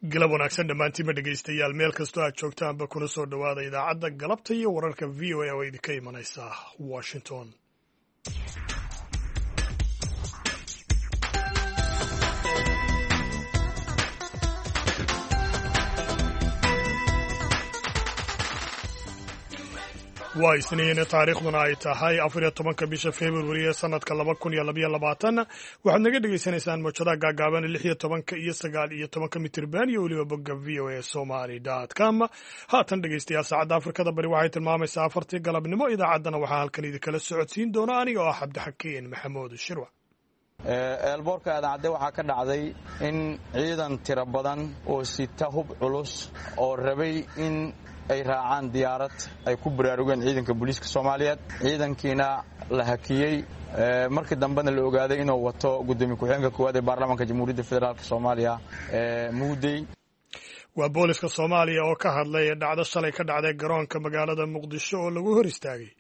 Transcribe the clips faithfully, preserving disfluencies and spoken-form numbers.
Galab wanaagsan dhammaantiinba dhegaystayaal, meel kastoo aad joogtaanba, kuna soo dhowaada idaacadda galabta iyo wararka V O A oo idinka imanaysa Washington. Waa Isniin, taariikhduna ay tahay afar iyo tobanka bisha Februari ee sanadka laba kun iyo labayo labaatan. Waxaad naga dhegaysanaysaan mowjadaha gaagaaban lix iyo tobanka iyo sagaal iyo tobanka mitirban iyo weliba bogga V O A Somali com. Haatan dhegaystayaal, saacadda Afrikada Bari waxay tilmaamaysaa afartii galabnimo. Idaacaddana waxaa halkan idinkala socodsiin doona aniga oo ah Cabdixakiin Maxamuud Shirwa. Airportka Aadan Cadde waxaa ka dhacday in ciidan tiro badan oo sita hub culus oo rabay in ay raacaan diyaarad ay ku baraarugeen ciidanka booliiska Soomaaliyeed, ciidankiina la hakiyey. Markii dambena la ogaaday inuu wato gudoomiye ku-xigeenka koowaad ee baarlamaanka Jamhuuriyadda Federaalk Soomaaliya, Muudey. Waa booliska Soomaaliya oo ka hadlay dhacdo shalay ka dhacday garoonka magaalada Muqdisho oo lagu hor istaagay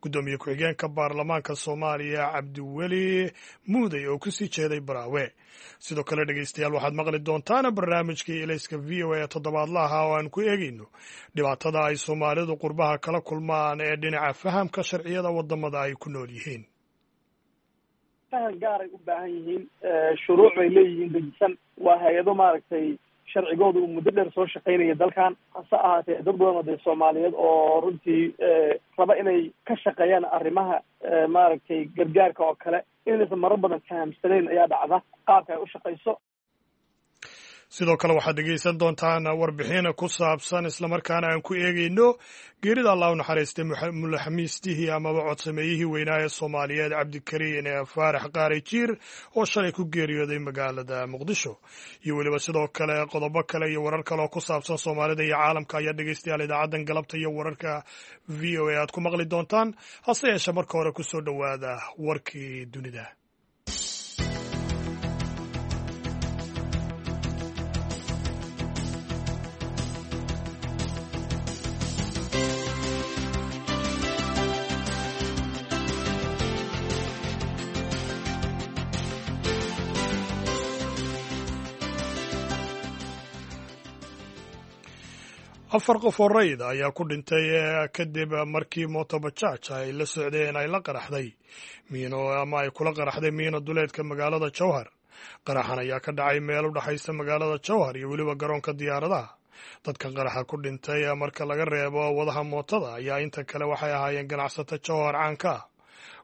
guddoomiye ku-xigeenka baarlamaanka Soomaaliya, Cabdiweli Muudey, oo kusii jeeday Baraawe. Sidoo kale dhegeystayaal, waxaad maqli doontaan barnaamijkii Ilayska V O A ee toddobaadlaha oo aan ku eegayno dhibaatada ay Soomaalidu qurbaha kala kulmaan ee dhinaca fahamka sharciyada wadamada ay ku nool yihiin. Faham gaaray u baahan yihiin, shuruuc bay leeyihiin dejisan, waa hay'ado maaragtay sharcigooda uu muddo dheer soo shaqaynaya dalkan. Hase ahaatee, dad badan oo dee Soomaaliyeed oo runtii raba inay ka shaqeeyaan arrimaha maaragtay gargaarka oo kale inaysan marar badan fahamsanayn ayaa dhacda qaabka ay u shaqayso. Sidoo kale waxaad dhegaysan doontaan warbixin ku saabsan, islamarkaana aan ku eegayno, geerida Allah u naxariistay mulaxamiistihii amaba codsameeyihii weynaa ee Soomaaliyeed, Cabdikariin Faarax Qaari Jiir, oo shalay ku geeriyooday magaalada Muqdisho, iyo weliba sidoo kale qodobo kale iyo warar kale oo ku saabsan Soomaalida iyo caalamka ayaa dhegaystayaal idaacaddan galabta iyo wararka V O A aad ku maqli doontaan. Hase yeeshee, marka hore kusoo dhowaada warkii dunida. Afar qof oo rayid ayaa ku dhintay kadib markii motobajaaj ay la socdeen ay la qaraxday miino ama ay kula qaraxday miino duleedka magaalada Jowhar. Qaraxan ayaa ka dhacay meel u dhexaysa magaalada Jowhar iyo weliba garoonka diyaaradaha. Dadka qaraxa ku dhintay, marka laga reebo wadaha mootada, ayaa inta kale waxay ahaayeen ganacsato Jowhar caanka ah.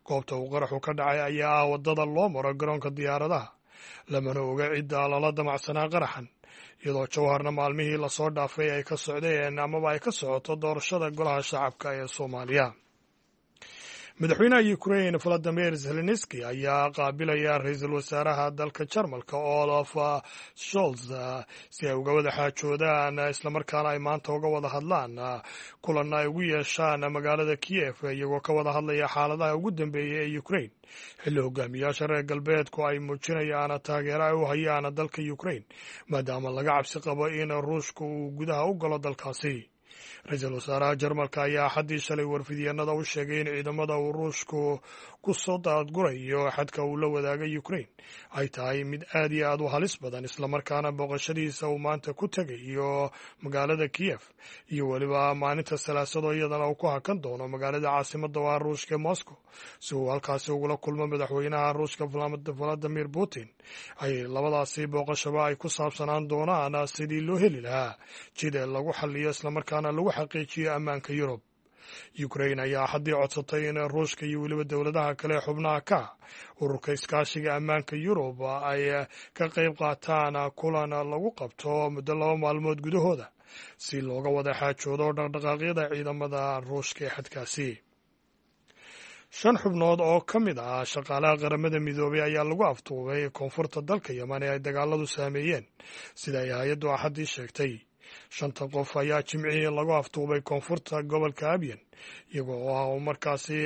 Goobta uu qaraxu ka dhacay ayaa ah waddada loo maro garoonka diyaaradaha. Lamana oga cidda lala damacsanaa qaraxan, iyadoo Jowharna maalmihii lasoo dhaafay ay ka socdeen amaba ay ka socoto doorashada golaha shacabka ee Soomaaliya. Madaxweynaha Ukraine Valadimir Zelenski ayaa qaabilaya ra-iisul wasaaraha dalka Jarmalka, Olaf Scholz, si ay uga wada xaajoodaan, islamarkaana ay maanta uga wada hadlaan, kulanna ay ugu yeeshaan magaalada Kiev, iyagoo ka wada hadlaya xaaladaha ugu dambeeya ee Ukraine, xilli hogaamiyaasha reer galbeedku ay muujinayaan taageero ay u hayaan dalka Ukraine, maadaama laga cabsi qabo in Ruushka uu gudaha u galo dalkaasi. Ra-iisul wasaaraha Jarmalka ayaa Axaddii shalay warfidyaenada u sheegay in ciidamada uu Ruushku ku soo daadgurayo xadka uu la wadaagay Ukraine ay tahay mid aad iyo aad u halis badan, islamarkaana booqashadiisa uu maanta ku tegayo magaalada Kiev iyo weliba maalinta Salaasado iyadana uu ku hakan doono magaalada caasimadda waa Ruushka ee Moscow, si uu halkaasi ugula kulmo madaxweynaha Ruushka Valadimir Putin, ay labadaasi booqashaba ay ku saabsanaan doonaan sidii loo heli lahaa jida lagu xaliyo islamarkaana lagu xaqiijiyo ammaanka Yurub. Ukraine ayaa Axaddii codsatay in Ruushka iyo weliba dowladaha kale xubnaha ka ururka iskaashiga ammaanka Yurub ay ka qayb qaataan kulan lagu qabto muddo laba maalmood gudahooda si looga wada xaajoodo dhaqdhaqaaqyada ciidamada Ruushka ee xadkaasi. Shan xubnood oo ka mid ah shaqaalaha Qaramada Midoobay ayaa lagu afduubay koonfurta dalka Yeman ee ay dagaaladu saameeyeen, sida ay hay'addu Axaddii sheegtay. Shanta qof ayaa Jimcihii lagu afduubay koonfurta gobolka Abyan, iyagoo ah uu markaasi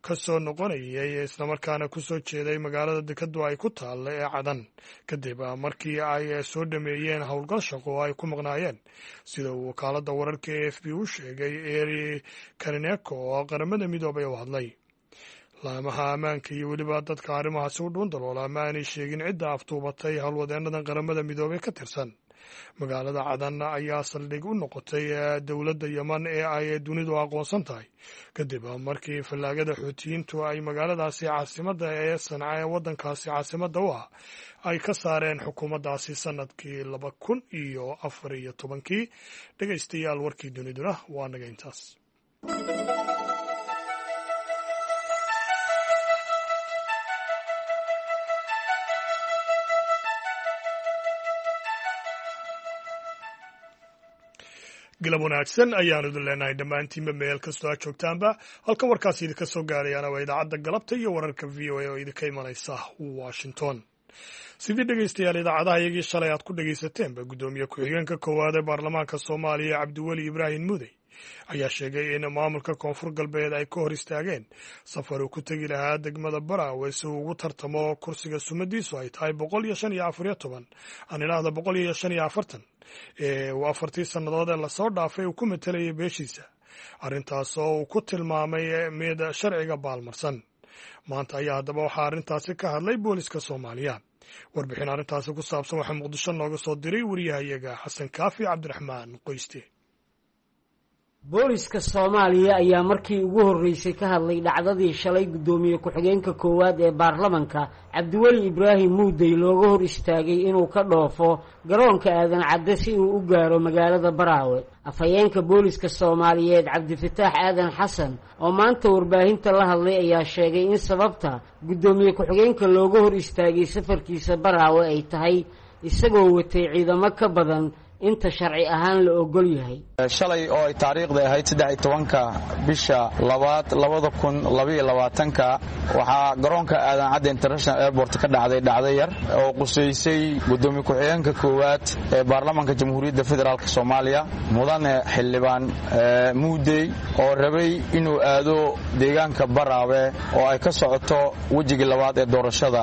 ka soo noqonayay islamarkaana ku soo jeeday magaalada dekadu ay ku taalla ee Cadan, kadib markii ay soo dhameeyeen howlgal shaqo oo ay ku maqnaayeen, sida uu wakaaladda wararka A F P u sheegay Eri Karineko oo Qaramada Midoobay u hadlay. Laamaha ammaanka iyo weliba dadka arrimahaasi u dhuundaloola ma aanay sheegin cidda afduubatay howlwadeennadan Qaramada Midoobey ka tirsan. Magaalada Cadan ayaa saldhig u noqotay dowladda Yeman ee ay dunidu aqoonsan tahay, kadib markii fallaagada Xuutiyiintu ay magaaladaasi caasimadda ee Sanca ee waddankaasi caasimadda u ah ay ka saareen xukuumaddaasi sanadkii laba kun iyo afar iyo tobankii. Dhegaystayaal, warkii duniduna waa naga intaas. Galab wanaagsan ayaanu idin leenahay dhammaantiinba meel kastoo aad joogtaanba. Halka warkaasi idinka soo gaarayaana waa idaacadda galabta iyo wararka V O A oo idinka imanaysa Washington. Sidii dhegaystayaal idaacadaha iyagii shalay aad ku dhagaysateenba, guddoomiye ku-xigeenka koowaad ee baarlamaanka Soomaaliya Cabdiweli Ibraahim Mudey ayaa sheegay in maamulka Koonfur Galbeed ay ka hor istaageen safar uu ku tegi lahaa degmada Baraawe si uu ugu tartamo kursiga sumadiisu ay tahay boqol iyo shan iyo afariyo toban, aan idhaahda boqol iyo shan iyo afartan, ee uu afartii sannadood ee lasoo dhaafay uu ku matalayay beeshiisa, arrintaas oo uu ku tilmaamay mid sharciga baalmarsan. Maanta ayaa haddaba waxaa arrintaasi ka hadlay booliska Soomaaliya. Warbixin arrintaasi ku saabsan waxaa Muqdisho nooga soo diray wariyahayaga Xasan Kaafi Cabdiraxmaan Qoyste. Booliska Soomaaliya ayaa markii ugu horreysay ka hadlay dhacdadii shalay guddoomiye ku-xigeenka koowaad ee baarlamanka Cabdiweli Ibraahim Muudey looga hor istaagay inuu ka dhoofo garoonka Aadan Cadde si uu u gaaro magaalada Baraawe. Afhayeenka booliska Soomaaliyeed Cabdifataax Aadan Xasan oo maanta warbaahinta la hadlay ayaa sheegay in sababta guddoomiye ku-xigeenka looga hor istaagay safarkiisa Baraawe ay tahay isagoo watay ciidamo ka badan inta sharci ahaan la ogol yahay. Shalay oo ay taariikhda ahayd saddex iyo tobanka bisha labaad labada kun labaiyo labaatanka waxaa garoonka Aadan Cadde International Airport ka dhacday dhacdo yar oo qusaysay guddoomiye ku-xigeenka koowaad ee baarlamaanka Jamhuuriyadda Federaalk Soomaaliya, mudane xildhibaan Muudey, oo rabay inuu aado deegaanka Baraawe oo ay ka socoto wejigii labaad ee doorashada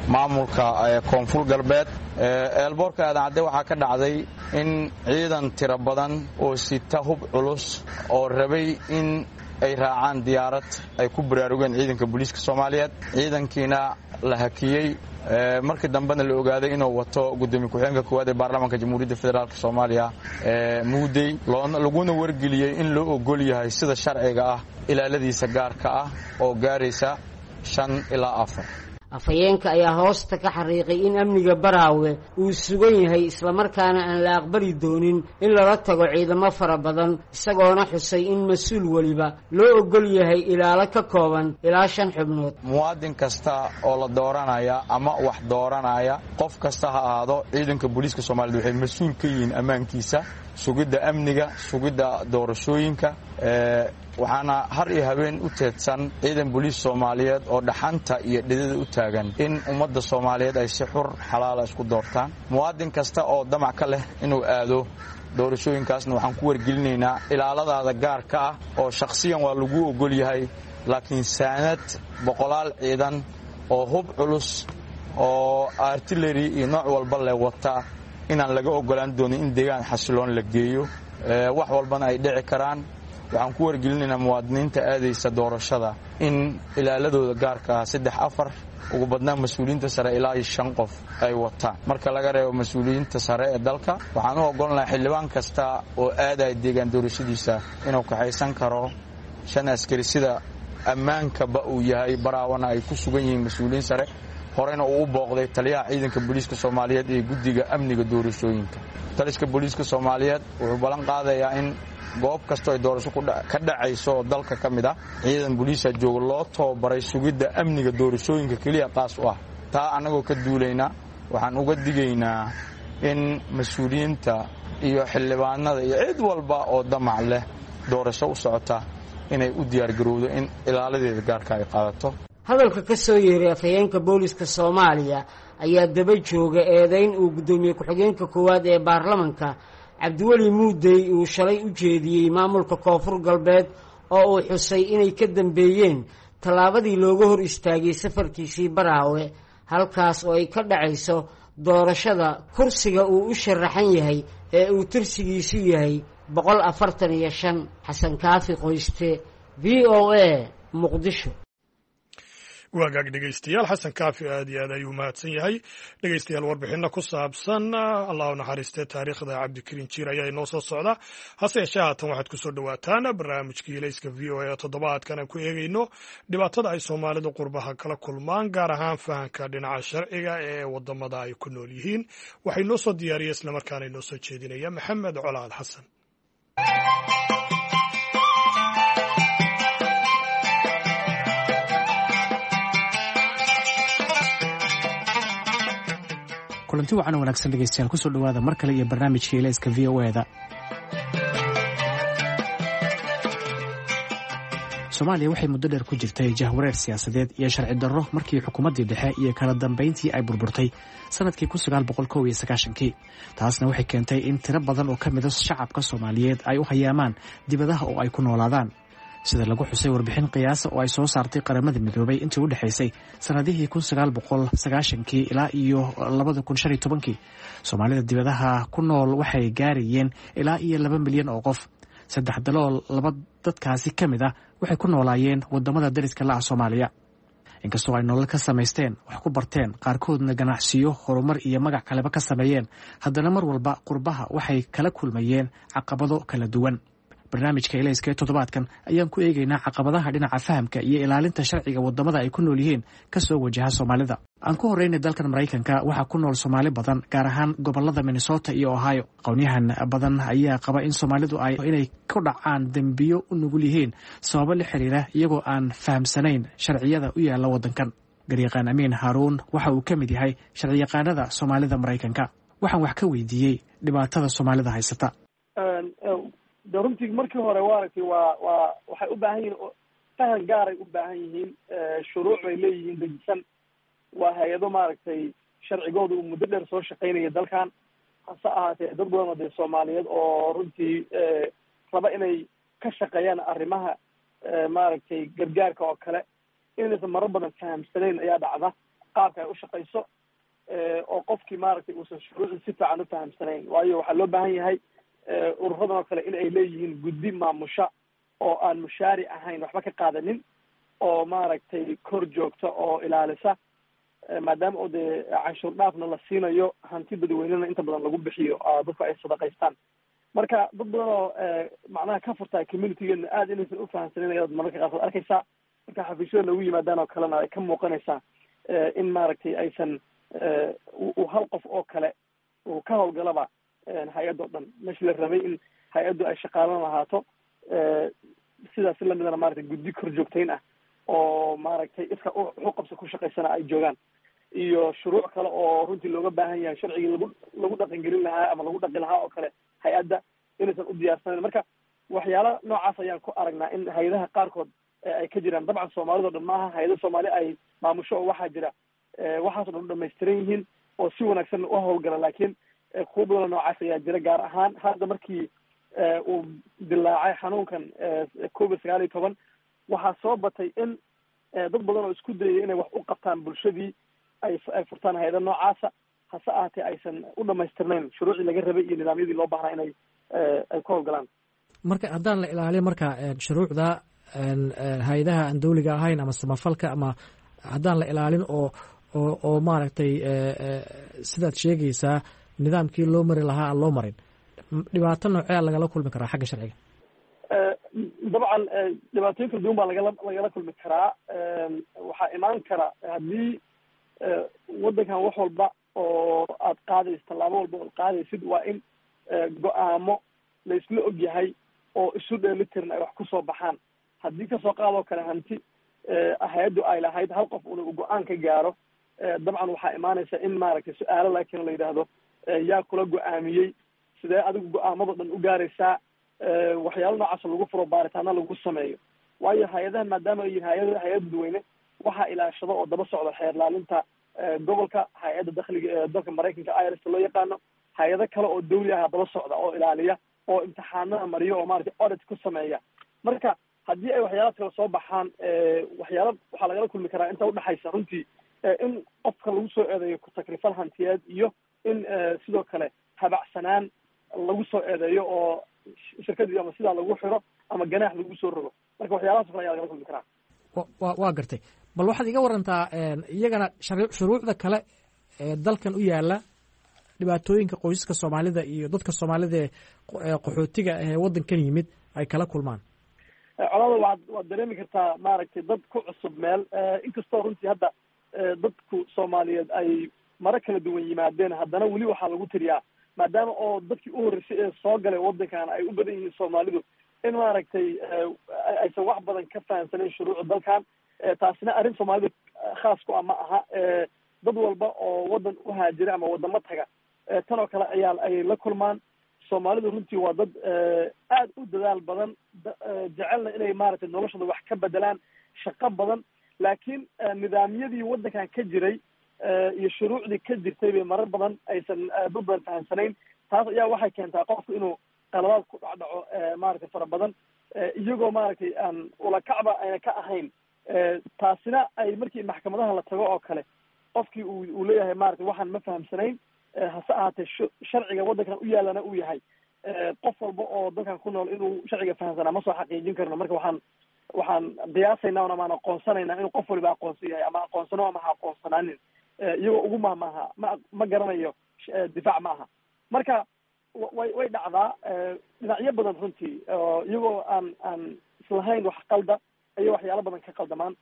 maamulka Koonfur Galbeed. Eelboorka Aadan Cadde waxaa ka dhacday in ciidan tiro badan oo sita hub culus oo rabay in ay raacaan diyaarad ay ku baraarugeen ciidanka booliiska Soomaaliyeed, ciidankiina la hakiyey. Markii dambena la ogaaday inuu wato guddoomiye ku-xigeenka koowaad ee baarlamaanka Jamhuuriyadda Federaalk Soomaaliya Muudey, laguna wargeliyey in loo ogol yahay sida sharciga ah ilaaladiisa gaarka ah oo gaaraysa shan ilaa afar. Afhayeenka ayaa hoosta ka xariiqay in amniga Baraawe uu sugan yahay, islamarkaana aan la aqbali doonin in lala tago ciidamo fara badan, isagoona xusay in mas-uul weliba loo ogol yahay ilaalo ka kooban ilaa shan xubnood. Muwaadin kasta oo la dooranaya ama wax dooranaya, qof kasta ha ahaado, ciidanka booliiska Soomaaliyed waxay mas-uul ka yihiin ammaankiisa, sugidda amniga, sugidda doorashooyinka. Waxaana har iyo habeen u teedsan ciidan booliis Soomaaliyeed oo dhaxanta iyo dhidida u taagan in ummadda Soomaaliyeed ay si xur xalaala isku doortaan. Muwaadin kasta oo damac ka leh inuu aado doorashooyinkaasna waxaan ku wargelinaynaa ilaaladaada gaarka ah oo shakhsiyan waa lagu ogol yahay, laakiin saanad boqolaal ciidan oo hub culus oo artillery iyo nooc walba leh wata inaan laga ogolaan doonin in deegaan xasiloon la geeyo, wax walbana ay dhici karaan. Waxaan ku wargelinaynaa muwaadiniinta aadaysa doorashada in ilaaladooda gaarka ah saddex afar, ugu badnaan mas-uuliyiinta sare ilaa iyo shan qof ay wataan. Marka laga reebo mas-uuliyiinta sare ee dalka, waxaan u ogolnahay xildhibaan kasta oo aadaya deegaan doorashadiisa inuu kaxaysan karo shan askari, sida ammaankaba uu yahay Baraawana ay ku sugan yihiin mas-uuliyiin sare. Horena uu u booqday taliyaha ciidanka booliiska Soomaaliyeed ee guddiga amniga doorashooyinka. Taliska booliiska Soomaaliyeed wuxuu ballan qaadayaa in goob kastoo ay doorasho ka dhacayso oo dalka ka mid ah ciidan booliisa jooga loo tababaray sugidda amniga doorashooyinka keliya qaas u ah. Taa annagoo ka duulayna waxaan uga digaynaa in mas-uuliyiinta iyo xildhibaanada iyo cid walba oo damac leh doorasho u socota inay u diyaargarowdo in ilaaladeeda gaarka ay qaadato. Hadalka ka soo yeeray afhayeenka booliska Soomaaliya ayaa daba jooga eedeyn uu guddoomiye ku-xigeenka koowaad ee baarlamanka Cabdiweli Muudey uu shalay u jeediyey maamulka Koonfur Galbeed oo uu xusay inay ka dambeeyeen tallaabadii looga hor istaagay safarkiisii Baraawe, halkaas oo ay ka dhacayso doorashada kursiga uu u sharaxan yahay ee uu tirsigiisu yahay boqol afartan iyo shan. Xasan Kaafi Qoyste, V O A, Muqdisho. Waagaag dhegeystayaal, Xasan Kaafi aad iyo aad ayuu mahadsan yahay. Dhegeystayaal, warbixinno ku saabsan, Allah u naxariistee, taariikhda Cabdikariin Jiir ayaa inoo soo socda. Hase yeeshee haatan waxaad kusoo dhowaataan barnaamijkii Ilayska V O A. Toddobaadkan aan ku eegeyno dhibaatada ay Soomaalidu qurbaha kala kulmaan, gaar ahaan fahanka dhinaca sharciga ee wadamada ay ku nool yihiin. Waxay noo soo diyaariyey islamarkaana inoo soo jeedinaya Maxamed Colaal Xasan. Kulanti wacan wanaagsan dhegeystayaal, kusoo dhawaada mar kale iyo barnaamijka Ilayska V O E-da. Soomaaliya waxay muddo dheer ku jirtay jahwareer siyaasadeed iyo sharci darro markii xukuumaddii dhexe iyo kala dambayntii ay burburtay sanadkii kun sagaal boqol kow iyo sagaashankii. Taasna waxay keentay in tiro badan oo ka mida shacabka Soomaaliyeed ay u hayaamaan dibadaha oo ay ku noolaadaan. Sida lagu xusay warbixin qiyaasa oo ay soo saartay Qaramada Midoobay, intii u dhexaysay sanadihii kun sagaal boqol sagaashankii ilaa iyo labada kun shan iyo tobankii, Soomaalida dibadaha ku nool waxay gaarayeen ilaa iyo laba milyan oo qof. Saddex dalool laba dadkaasi ka mid ah waxay ku noolaayeen wadamada dariska la ah Soomaaliya. Inkastoo ay nolol ka samaysteen, wax ku barteen, qaarkoodna ganacsiyo, horumar iyo magac kaleba ka sameeyeen, haddana mar walba qurbaha waxay kala kulmayeen caqabado kala duwan. Barnaamijka Ilayska ee toddobaadkan ayaan ku eegaynaa caqabadaha dhinaca fahamka iyo ilaalinta sharciga wadamada ay ku nool yihiin kasoo wajaha Soomaalida. Aan ku horreynay dalkan Maraykanka waxaa ku nool Soomaali badan, gaar ahaan gobolada Minnesota iyo Ohio. Aqoonyahan badan ayaa qaba in Soomaalidu ay inay ku dhacaan dembiyo u nugul yihiin sababo la xiriira iyagoo aan fahamsanayn sharciyada u yaala waddankan. Garyaqaan Amiin Haaruun waxa uu ka mid yahay sharciyaqaanada Soomaalida Maraykanka. Waxaan wax ka weydiiyey dhibaatada Soomaalida haysata. De runtii markii hore wa aragtay, waa waa waxay u baahan yihiin fahan gaaray u baahan yihiin, shuruuc bay leeyihiin dejisan, waa hay-ado maaragtay sharcigooda uu muddo dheer soo shaqaynaya dalkan. Hase ahaatee dad badan oo dee Soomaaliyeed oo runtii raba inay ka shaqeeyaan arrimaha maaragtay gargaarka oo kale inaysan marar badan fahamsanayn ayaa dhacda qaabka ay u shaqayso, oo qofkii maaragtay uusan shuruucdii si fiican u fahamsanayn. Waayo waxaa loo baahan yahay ururadan oo kale in ay leeyihiin guddi maamusha oo aan mushaari ahayn, waxba ka qaadanin, oo maaragtay kor joogta oo ilaalisa, maadaama oo dee canshuur dhaafna la siinayo, hanti dadweynena inta badan lagu bixiyo, dadku ay sadaqaystaan. Marka dad badan oo macnaha ka furtaa communitygeena aada inaysan ufahamsanin ayaad mararka qaarkood arkaysaa. Marka xafiisyada noogu yimaadaan oo kalena ay ka muuqanaysaa in maaragtay aysan uu hal qof oo kale uu ka howlgalaba hay-adda o dhan, meeshii la rabay in hay-addu ay shaqaalan lahaato, sidaas lamidana maaragtay guddi kor joogtayn ah oo maaragtay iska uxuqabsa ku shaqaysana ay joogaan, iyo shuruuc kale oo runtii looga baahan yahay sharcigii lagu lagu dhaqangelin lahaa ama lagu dhaqi lahaa oo kale hay-adda inaysan u diyaarsanayn. Marka waxyaala noocaas ayaan ku aragnaa in hay-adaha qaarkood ay ka jiraan. Dabcan Soomaalida o dhan maaha, hay-ada Soomaali ay maamusho oo waxaa jira waxaas o dhan u dhamaystiran yihiin oo si wanaagsan u howlgala, laakiin kuwa badanoo noocaas ayaa jira. Gaar ahaan hadda markii uu dilaacay xanuunkan covid sagaal iyo toban, waxaa soo batay in dad badan oo isku dayay inay wax u qabtaan bulshadii ay ay furtaan hay-ada noocaasa, hase ahaatee aysan u dhamaystirnayn shuruucdii laga rabay iyo nidaamyadii loo baahnaa inay ay ku howlgalaan. Marka haddaan la ilaalin marka shuruucda hay-adaha aan dawliga ahayn ama samafalka, ama haddaan la ilaalin oo oo oo maaragtay sidaad sheegaysaa nidaamkii loo mari lahaa aan loo marin, dhibaato noocea lagala kulmi karaa xagga sharciga? Dabcan dhibaatooyin kala duwan baa lagala lagala kulmi karaa. Waxaa imaan kara haddii waddankan wax walba oo aad qaadaysid, tallaabo walba ood qaadaysid, waa in go-aamo la isla og yahay oo isu dheelitiran ay wax kusoo baxaan. Haddii kasoo qaadoo kale hanti hay-addu ay lahayd hal qof una go-aan ka gaaro, dabcan waxaa imaanaysa in maaragtay su-aalo laakiin la yidhaahdo yaa kula go-aamiyey, sidee adigu go-aamado dhan u gaaraysaa, waxyaalo noocaas lagu furo, baaritaana lagu sameeyo. Waayo hay-adaha maadaama ay yihin hay-ada hay-ad dadweyne, waxaa ilaashado oo daba socda xeer laalinta gobolka, hay-adda dakhliga ee dalka Maraykanka I R S loo yaqaano, hay-ado kale oo dawli ah daba socda oo ilaaliya oo imtixaanada mariyo oo maaragtay audit ku sameeya. Marka haddii ay waxyaalahaas kale soo baxaan, waxyaala waxaa lagala kulmi karaa inta udhexaysa runtii in qofka lagu soo eedeeyo ku-takrifal hantiyeed iyo in sidoo kale habacsanaan lagu soo eedeeyo oo shirkadii ama sidaa lagu xiro ama ganaax lagu soo rogo. Marka waxyaalahaas o kale ayaa lagala kulmi karaa. Wa waa gartay. Bal waxaad iga warantaa iyagana shuruucda kale ee dalkan u yaala, dhibaatooyinka qoysaska soomaalida iyo dadka soomaalida ee qaxootiga ee waddankan yimid ay kala kulmaan. Colaada, waad waad dareemi kartaa, maaragtay, dad ku cusub meel, inkastoo runtii hadda dadku Soomaaliyeed ay maro kala duwan yimaadeen, haddana weli waxaa lagu tiriyaa, maadaama oo dadkii u horreysay ee soo galay waddankan ay u badan yihiin Soomaalidu, in maaragtay aysan wax badan ka fahamsanayn shuruucda dalkan. Taasina arrin Soomaalida khaas ku ah ma aha. Dad walba oo waddan u haajira ama waddamo taga tan oo kale ayaa ayay la kulmaan. Soomaalidu runtii waa dad aad u dadaal badan, jecelna inay maaragtay noloshooda wax ka bedelaan, shaqo badan, laakiin nidaamyadii waddankan ka jiray iyo shuruucdii ka jirtay bay marar badan aysan dad badan fahamsanayn. Taas ayaa waxay keentaa qofku inuu qaladaad ku dhacdhaco, maaragtay, fara badan, iyagoo maaragtay aan ulakacba ayna ka ahayn. Taasina ay markii maxkamadaha la tago oo kale qofkii uu uu leeyahay, maaragtay, waxaan ma fahamsanayn, hase ahaatee sharciga waddankan u yaalana uu yahay qof walba oo dalkan ku nool inuu sharciga fahamsanaa ma soo xaqiijin karno. Marka waxaan waxaan qiyaasaynaa amaan aqoonsanaynaa inuu qof waliba aqoonsan yahay, ama aqoonsano ama ha aqoonsanaanin, iyagoo ugu mahmaaha ma ma garanayo difaac ma aha. Marka way way dhacdaa dhinacyo badan runtii, iyagoo aan aan islahayn wax qalda ayay waxyaalo badan ka qaldamaan.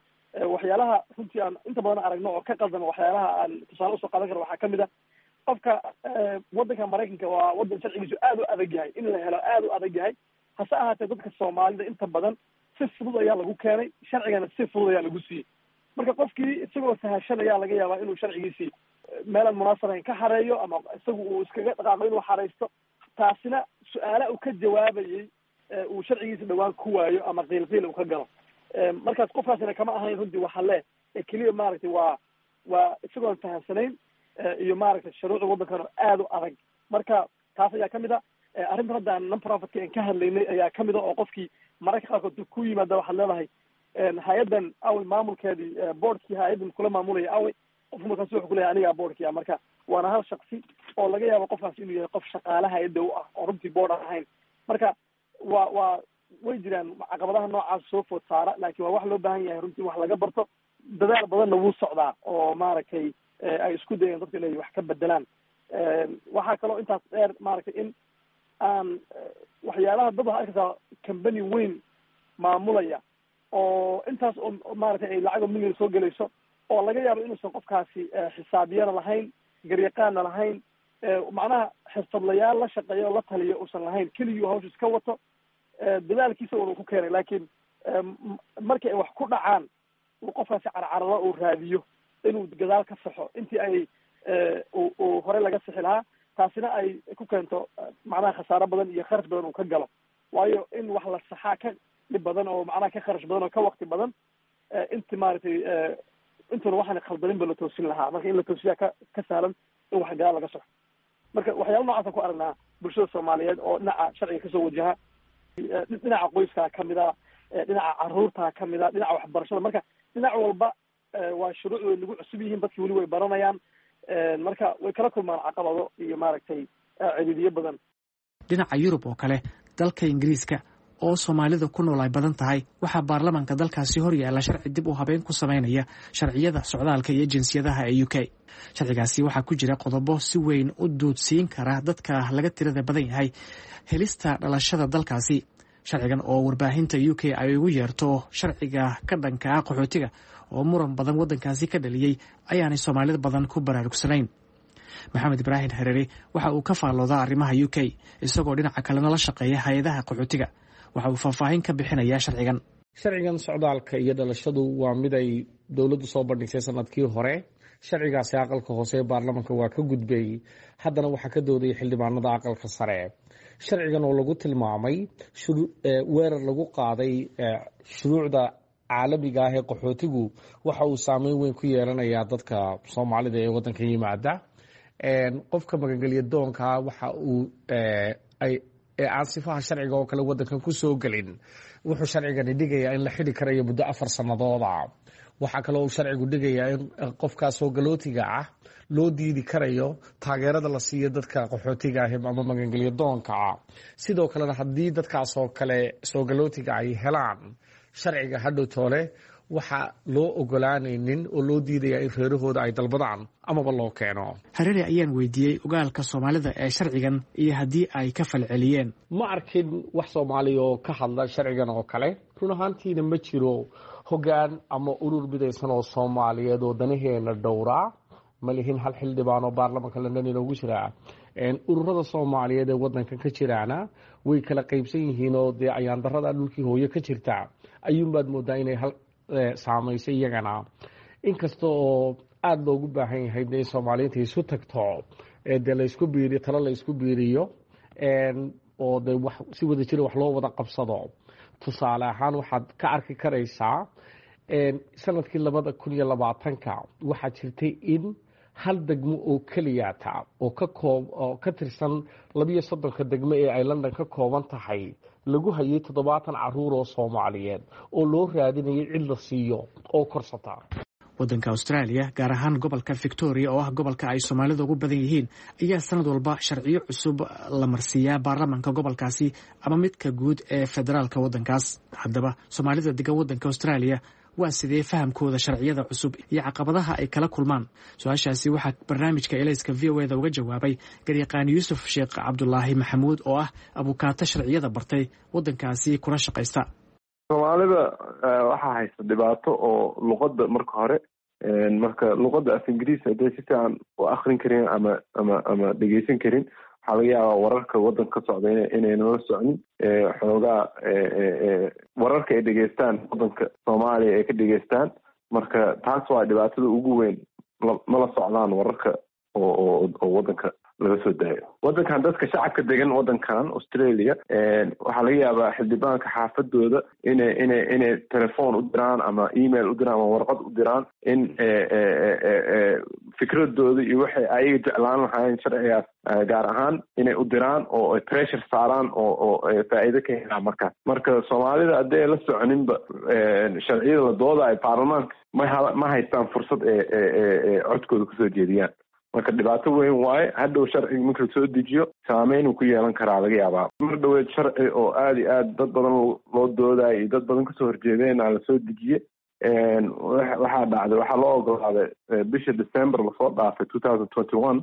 Waxyaalaha runtii aan inta badan aragno oo ka qaldama, waxyaalaha aan tusaale usoo qaadan karo waxaa kamid a qofka waddanka Maraykanka waa waddan sharcigiisu aad u adag yahay, in la helo aad u adag yahay. Hase ahaatee dadka Soomaalida inta badan si fudud ayaa lagu keenay, sharcigana si fudud ayaa lagu siiyey. Marka qofkii isagoo sahashan ayaa laga yaabaa inuu sharcigiisii meelaan munaasab ahayn ka xareeyo, ama isagu uu iskaga dhaqaaqo inuu xareysto. Taasina su-aala uu ka jawaabayey uu sharcigiisa dhawaan ku waayo ama qiilqiil uu ka galo. Markaas qofkaasina kama ahayn runtii waxa le ee keliya, maaragtay, waa waa isagoon fahamsanayn iyo maaragtay shuruucda waddankan oo aad u adag. Marka taas ayaa kamid a. Arrintan hadda aan non profitka aan ka hadlaynay ayaa kamid a, oo qofkii mararka qaarkood ku yimaada waxaad leedahay, "Hay-addan awey maamulkeedii, boardkii hay-addan kula maamulaya awey?" Qofku markaas wuxuu kuleyahay, "Anigaa boardkii ah." Marka waana hal shaksi oo laga yaabo qofkaas inuu yahay qof shaqaale hay-adda u ah oo runtii board aan ahayn. Marka waa waa way jiraan caqabadaha noocaas soo food saara, laakiin waa wax loo baahan yahay runtii wax laga barto. Dadaal badanna wuu socdaa oo maaragtay ay isku dayeen dadka inay wax ka bedelaan. Waxaa kaloo intaas dheer, maaragtay, in aan waxyaalaha dad waxaa arkaysaa company weyn maamulaya oo intaas oo maaragtay ay lacag oo million soo gelayso, oo laga yaabo inuusan qofkaasi xisaabiyana lahayn, garyaqaanna lahayn, macnaha xirfadlayaal la shaqeeya oo la taliyo uusan lahayn, keligii hawsha iska wato, dadaalkiisa uunu ku keenay. Laakiin markii ay wax ku dhacaan uu qofkaasi carcararo, uu raadiyo inuu gadaal ka saxo intii ay uu horey laga sixi lahaa. Taasina ay ku keento macnaha khasaaro badan iyo kharash badan uu ka galo, waayo in wax la saxaa ka dhib badan oo macnaha ka kharash badan oo ka wakti badan inti maaragtay intuuna waxaan khaldanin ba la toosin lahaa. Marka in la toosiyaa ka ka sahlan in wax gadaal laga saxo. Marka waxyaala noocaasaan ku aragnaa bulshada Soomaaliyeed oo dhinaca sharciga kasoo wajaha, dhinaca qoyskaa kamid a, dhinaca caruurtaa kamid a, dhinaca waxbarashada. Marka dhinac walba waa shuruuc way nagu cusub yihiin, dadki weli way baranayaan. Marka way kala kulmaan caqabado iyo maaragtay ciriiriyo badan. Dhinaca Yurub oo kale, dalka Ingiriiska oo Soomaalida ku nool ay badan tahay, waxaa baarlamaanka dalkaasi hor yaalla sharci dib u habeyn ku sameynaya sharciyada socdaalka iyo jinsiyadaha ee U K. Sharcigaasi waxaa ku jira qodobo si weyn u duudsiin kara dadka laga tirada badan yahay helista dhalashada dalkaasi. Sharcigan oo warbaahinta U K ay ugu yeerto sharciga ka dhanka ah qaxootiga, oo muran badan waddankaasi ka dhaliyey, ayaanay Soomaalida badan ku baraarugsanayn. Maxamed Ibraahim Hareere waxa uu ka faalloodaa arrimaha U K, isagoo dhinaca kalena la shaqeeya hay-adaha qaxootiga. Waxa uu faahfaahin ka bixinayaa sharcigan. Sharcigan socdaalka iyo dhalashadu waa mid ay dowladdu soo bandhigtay sanadkii hore. Sharcigaasi aqalka hoose ee baarlamaanka waa ka gudbay, haddana waxaa ka doodaya xildhibaanada aqalka sare. Sharcigan oo lagu tilmaamay weerar lagu qaaday shuruucda caalamiga ah ee qaxootigu, waxa uu saameyn weyn ku yeelanayaa dadka Soomaalida ee waddanka yimaada. Qofka magangelya doonka waxa uu ee aan sifaha sharciga oo kale waddankan ku soo gelin, wuxuu sharcigani dhigayaa in la xidhi karayo muddo afar sanadooda. Waxaa kaloo uu sharcigu dhigayaa in qofkaas soo galootiga ah loo diidi karayo taageerada la siiyo dadka qaxootiga ah ama magangelya doonka ah. Sidoo kalena haddii dadkaas oo kale soo galootiga ay helaan sharciga hadhow toole, Waxaa loo ogolaanaynin oo loo diidayaa in reerahooda ay dalbadaan amaba loo keeno. Hareeri ayaan weydiiyey ogaalka Soomaalida ee sharcigan iyo haddii ay ka falceliyeen. Ma arkin wax Soomaaliya oo ka hadla sharcigan oo kale. Run ahaantiina ma jiro hoggaan ama urur midaysan oo Soomaaliyeed oo danaheena dhowraa. Ma lihin hal xildhibaan oo baarlamanka London inoogu jiraa. Ururada Soomaaliyeed ee wadankan ka jiraana way kala qaybsan yihiin, oo dee ayaandarada dhulkii hooyo ka jirta ayuunbaad moodaa inay hal saamaysay iyagana, inkasta oo aada loogu baahan yahay de in Soomaaliyiinta isu tagto, dee laysku biiriyo, talo laysku biiriyo, oo de wax si wada jira wax loo wada qabsado. Tusaale ahaan, waxaad ka arki karaysaa sanadkii labada kun iyo labaatanka waxaa jirtay in hal degmo oo keliyata oo ka koob oo ka tirsan labiyo soddonka degmo ee ay London ka kooban tahay lagu hayay toddobaatan caruur oo Soomaaliyeed oo loo raadinayay cid la siiyo oo korsata. Waddanka Australia, gaar ahaan gobolka Victoria oo ah gobolka ay Soomaalida ugu badan yihiin, ayaa sanad walba sharciyo cusub la marsiiyaa baarlamanka gobolkaasi ama midka guud ee federaalka waddankaas. Haddaba, Soomaalida degan waddanka Australia waa sidee fahamkooda sharciyada cusub iyo caqabadaha ay kala kulmaan? Su-aashaasi waxaa barnaamijka Elayska V O eda uga jawaabay garyaqaan Yuusuf Sheekh Cabdulaahi Maxamuud oo ah abukaato sharciyada bartay, waddankaasi kula shaqaysta. Soomaalida waxaa haysta dhibaato oo luqadda marka hore. Marka luqadda af Ingiriis hadday si fiican u akrin karin ama ama ama dhegeysan karin, waxaa laga yaabaa wararka waddanka ka socda inayna la socnin. Xoogaa wararka ay dhegeystaan waddanka Soomaaliya ay ka dhegeystaan. Marka taas waa dhibaatada ugu weyn, ma la socdaan wararka oo oo waddanka laga soo daayo. Waddankan dadka shacabka degan waddankan Australia waxaa laga yaabaa xildhibaanka xaafadooda inay inay inay telefoon u diraan ama email u diraan ama warqad u diraan in fikradooda iyo waxay ayaga jeclaan lahaayeen sharcigaas gaar ahaan inay u diraan oo ay pressure saaraan oo oo faa'iido ka helaan markaas. Marka Soomaalida hadday la soconinba sharciyada la doodayo baarlamaanka, ma ma haystaan fursad ee ee codkooda kusoo jeediyaan. Marka dhibaato weyn waaye. Hadhow sharciga marka lasoo dejiyo saameyn uu ku yeelan karaa laga yaabaa. Mar dhaweed sharci oo aada iyo aad dad badan loo doodayo iyo dad badan kasoo horjeedeen aa lasoo dejiye. Waxaa dhacday, waxaa loo ogolaaday bisha December lasoo dhaafay two thousand twenty one,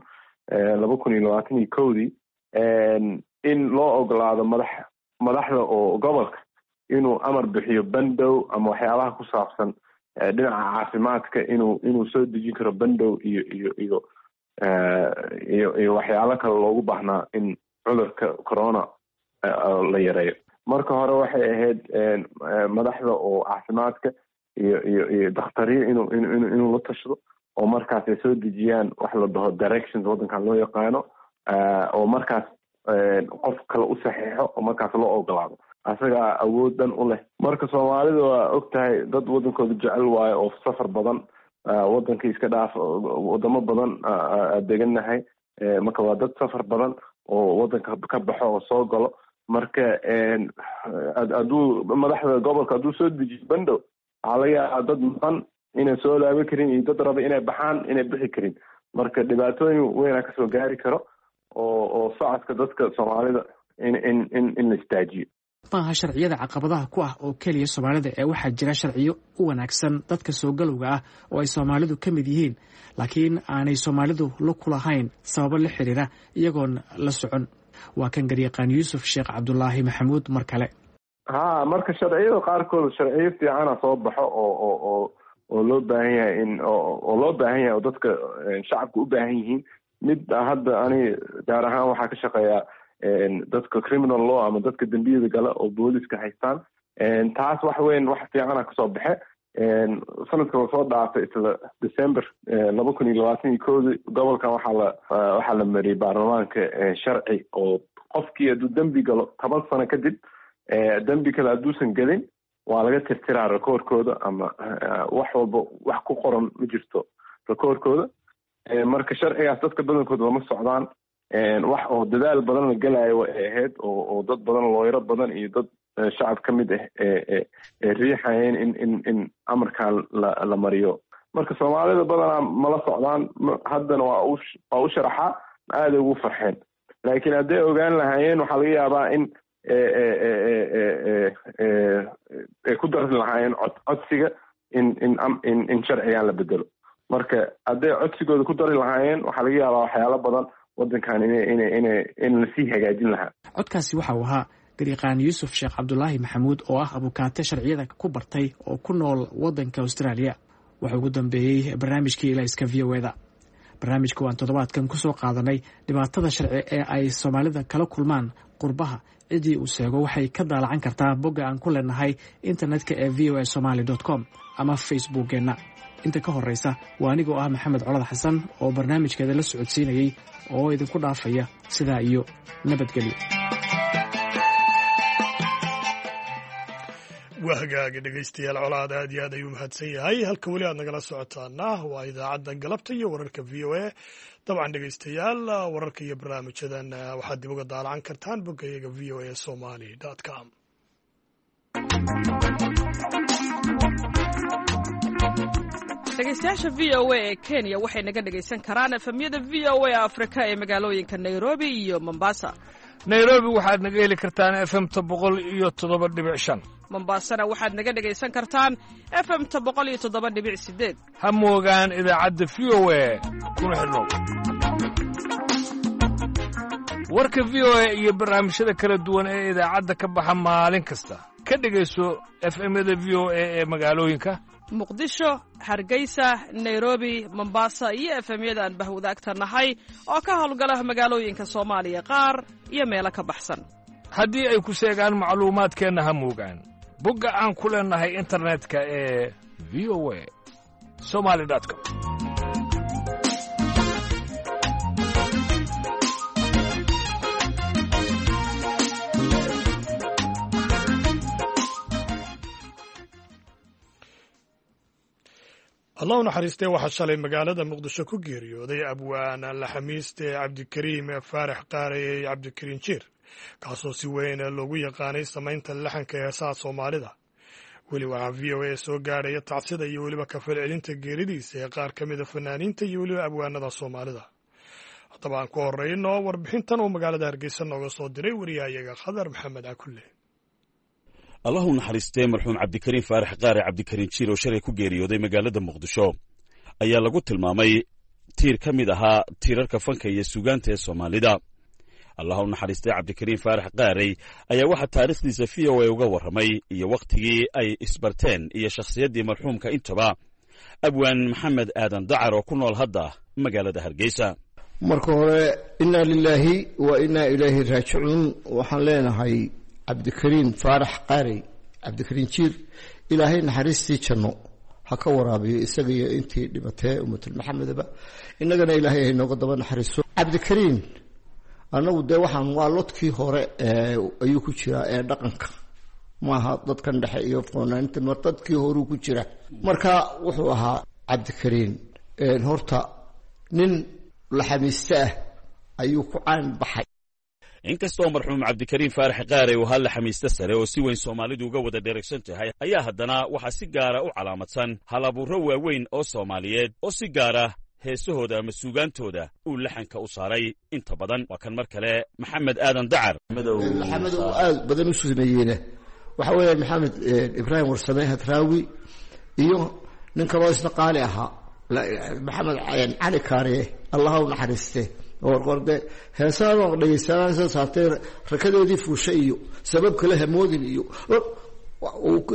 laba kun iyo labaatan iyo kowdii, in loo ogolaado madax madaxda oo gobolka inuu amar bixiyo bandow ama waxyaabaha ku saabsan dhinaca caafimaadka, inuu inuu soo dejin karo bandow iyo iyo iyo iyo iyo waxyaalo kale loogu baahnaa in cudurka corona la yareeyo. Marka hore waxay ahayd madaxda oo caafimaadka iyo iyo iyo dakhtariyo inuu inu inuu la tashado oo markaas ay soo dejiyaan wax la dhaho directions waddankan loo yaqaano, oo markaas qof kale u saxiixo oo markaas loo ogolaado, asagaa awood dhan u leh. Marka Soomaalida waa og tahay, dad waddankooda jecel waayo oo safar badan, waddanka iska dhaaf, wadamo badan degannahay. Marka waa dad safar badan oo waddanka ka baxo oo soo galo. Marka hadduu madaxda gobolka hadduu soo dejiyo bandow, waxaa laga yaabaa dad maqan inay soo laaban karin iyo dad raba inay baxaan inay bixi karin. Marka dhibaatooyin weynaa kasoo gaari karo oo oo socodka dadka Soomaalida in in in in la istaajiyo. Maaha sharciyada caqabadaha ku ah oo keliya Soomaalida ee waxaa jira sharciyo u wanaagsan dadka soo galowga ah oo ay Soomaalidu ka mid yihiin, laakiin aanay Soomaalidu lug ku lahayn sababo la xiriira iyagoon la socon. Waa kan garyaqaan Yuusuf Sheekh Cabdulaahi Maxamuud mar kale. Ha, marka sharciyada qaarkood sharciyo fiicana soo baxo oo oo oo oo loo baahan yahay in oo loo baahan yahay oo dadka shacabka u baahan yihiin. Mid hadda ani gaar ahaan waxaa ka shaqeeyaa dadka criminal law ama dadka dembiyada gala oo booliska haystaan. Taas wax weyn, wax fiicana kasoo baxe sanadka lasoo dhaafay, isla December laba kun iyo labaatan iyo kowdi. Gobolkan waxaa la waxaa la mariyey baarlamaanka sharci oo qofkii hadduu dembi galo, toban sano kadib dembi kale hadduusan gelin, waa laga tirtiraa rekoorkooda ama wax walba wax ku qoran ma jirto rekoorkooda. Marka sharcigaas dadka badankooda lama socdaan. Wax oo dadaal badan la gelayo way ahayd oo oo dad badan, looyaro badan iyo dad shacab ka mid ah ee ee riixayeen in in in amarkan la la mariyo. Marka Soomaalida badanaa mala socdaan. Haddana waa u waa u sharaxaa, aaday ugu farxeen, laakiin hadday ogaan lahaayeen waxaa laga yaabaa in ay ku dari lahaayeen cod codsiga. In in in in sharcigan la bedelo. Marka hadday codsigooda ku dari lahaayeen, waxaa laga yaabaa waxyaalo badan waddankan ina ina ina in lasii hagaajin lahaa. Codkaasi waxa uu ahaa gariiqaan Yuusuf Sheekh Cabdulaahi Maxamuud oo ah abukaate sharciyada ku bartay oo ku nool waddanka Australia. Waxaa ugu dambeeyey barnaamijkii Ilayska V O E da. Barnaamijka waan toddobaadkan ku soo qaadanay dhibaatada sharci ee ay Soomaalida kala kulmaan qurbaha. Ciddii uu seego waxay ka daalacan kartaa bogga aan ku leenahay internetka ee V O A somaly com ama Facebookkeenna. Inta ka horreysa, waa anigoo ah Maxamed Colad Xasan oo barnaamijkeeda la socodsiinayey oo idinku dhaafaya sidaa iyo nabadgelyo. Waa hagaaga, dhegeystayaal. Colaad aad iyo aad ayuu mahadsan yahay. Halka weli aad nagala socotaana waa idaacadda galabta iyo wararka V O A. Dabcan, dhegeystayaal, wararka iyo barnaamijyadan waxaad dib uga daalacan kartaan boggayaga V O A somali com. Dhegeystayaasha V O A ee Kenya waxay naga dhegaysan karaan F M-yada V O A Afrika ee magaalooyinka Nairobi iyo Mombasa. Nairobi waxaad naga heli kartaan F M-ta boqol iyo toddoba dhibic shan. Mombasana waxaad naga dhegaysan kartaan F M-ta boqol iyo toddoba dhibic sideed. Ha moogaan idaacadda V O A, kuna xidhnow warka V O A iyo barnaamijyada kala duwan ee idaacadda ka baxa maalin kasta. Ka dhegayso F M-yada V O A ee magaalooyinka Muqdisho, Hargeysa, Nairobi, Mombasa iyo F M-yada aan bahwadaagta nahay oo ka howlgala magaalooyinka Soomaaliya qaar iyo meelo ka baxsan. Haddii ay ku seegaan macluumaadkeenna, ha moogaan bogga aan ku leennahay internetka ee V O A somali com. Allah u naxariistee, waxaa shalay magaalada Muqdisho ku geeriyooday abwaan laxamiiste Cabdikariim Faarax Qaarey, Cabdikariin Jiir, kaasoo si weyn loogu yaqaanay samaynta laxanka heesaha Soomaalida. Weli waxaa V O A soo gaadhaya tacsida iyo weliba kafalcelinta geeridiisa ee qaar ka mida fanaaniinta iyo weliba abwaanada Soomaalida. Haddaba aan ku horeyno warbixintan uu magaalada Hargeysa nooga soo diray wariyahayaga Khadar Maxamed Cakulle. Allahu naxariistee, marxuum Cabdikariin Faarax Qaare, Cabdikariin Jiir, oo shalay ku geeriyooday magaalada Muqdisho ayaa lagu tilmaamay tiir ka mid ahaa tiirarka fanka iyo suugaanta ee Soomaalida. Allahu naxariistee, Cabdikariin Faarax Qaarey ayaa waxaa taariikhdiisa V O A uga warramay iyo wakhtigii ay isbarteen iyo shakhsiyaddii marxuumka intaba abwaan Maxamed Aadan Dacar oo ku nool hadda magaalada Hargeysa. Marka hore, innaa lilaahi wa innaa ilayhi raajicuun. Waxaan leenahay Cabdikariin Faarax Qaarey, Cabdikariin Jiir, Ilaahay naxariistii janno ha ka waraabiyo isaga iyo intii dhibatee ummatul Maxamedaba, innagana Ilaahay hay nooga daba naxariiso. Cabdikariin annagu dee waxaan waa lodkii hore ayuu ku jiraa ee dhaqanka, maaha dadkan dhexe iyo foonaanta, mar dadkii horuu ku jira. Marka wuxuu ahaa Cabdikariin horta nin laxamiiste ah ayuu ku caan baxay. Inkastoo marxuum Cabdikariin Faarax Qaarey uu ahaa laxamiiste sare oo si weyn Soomaalidu uga wada dheregsan tahay, ayaa haddana waxaa si gaara u calaamadsan halabuurro waaweyn oo Soomaaliyeed oo si gaara heesahooda ama suugaantooda uu laxanka u saaray inta badan. Waa kan mar kale Maxamed Aadan Dacar. Laxamada uu aad badan u sameeyeyna waxa weeyaan Maxamed Ibraahim Warsame Hadraawi iyo nin kaloo isna qaali ahaa, Maxamed Cali Kaariye, Allaha u naxariiste. Warqorde heesaan dhegeysanaan soo saartay rakadeedii fuusha iyo sabab kale hamoodin iyo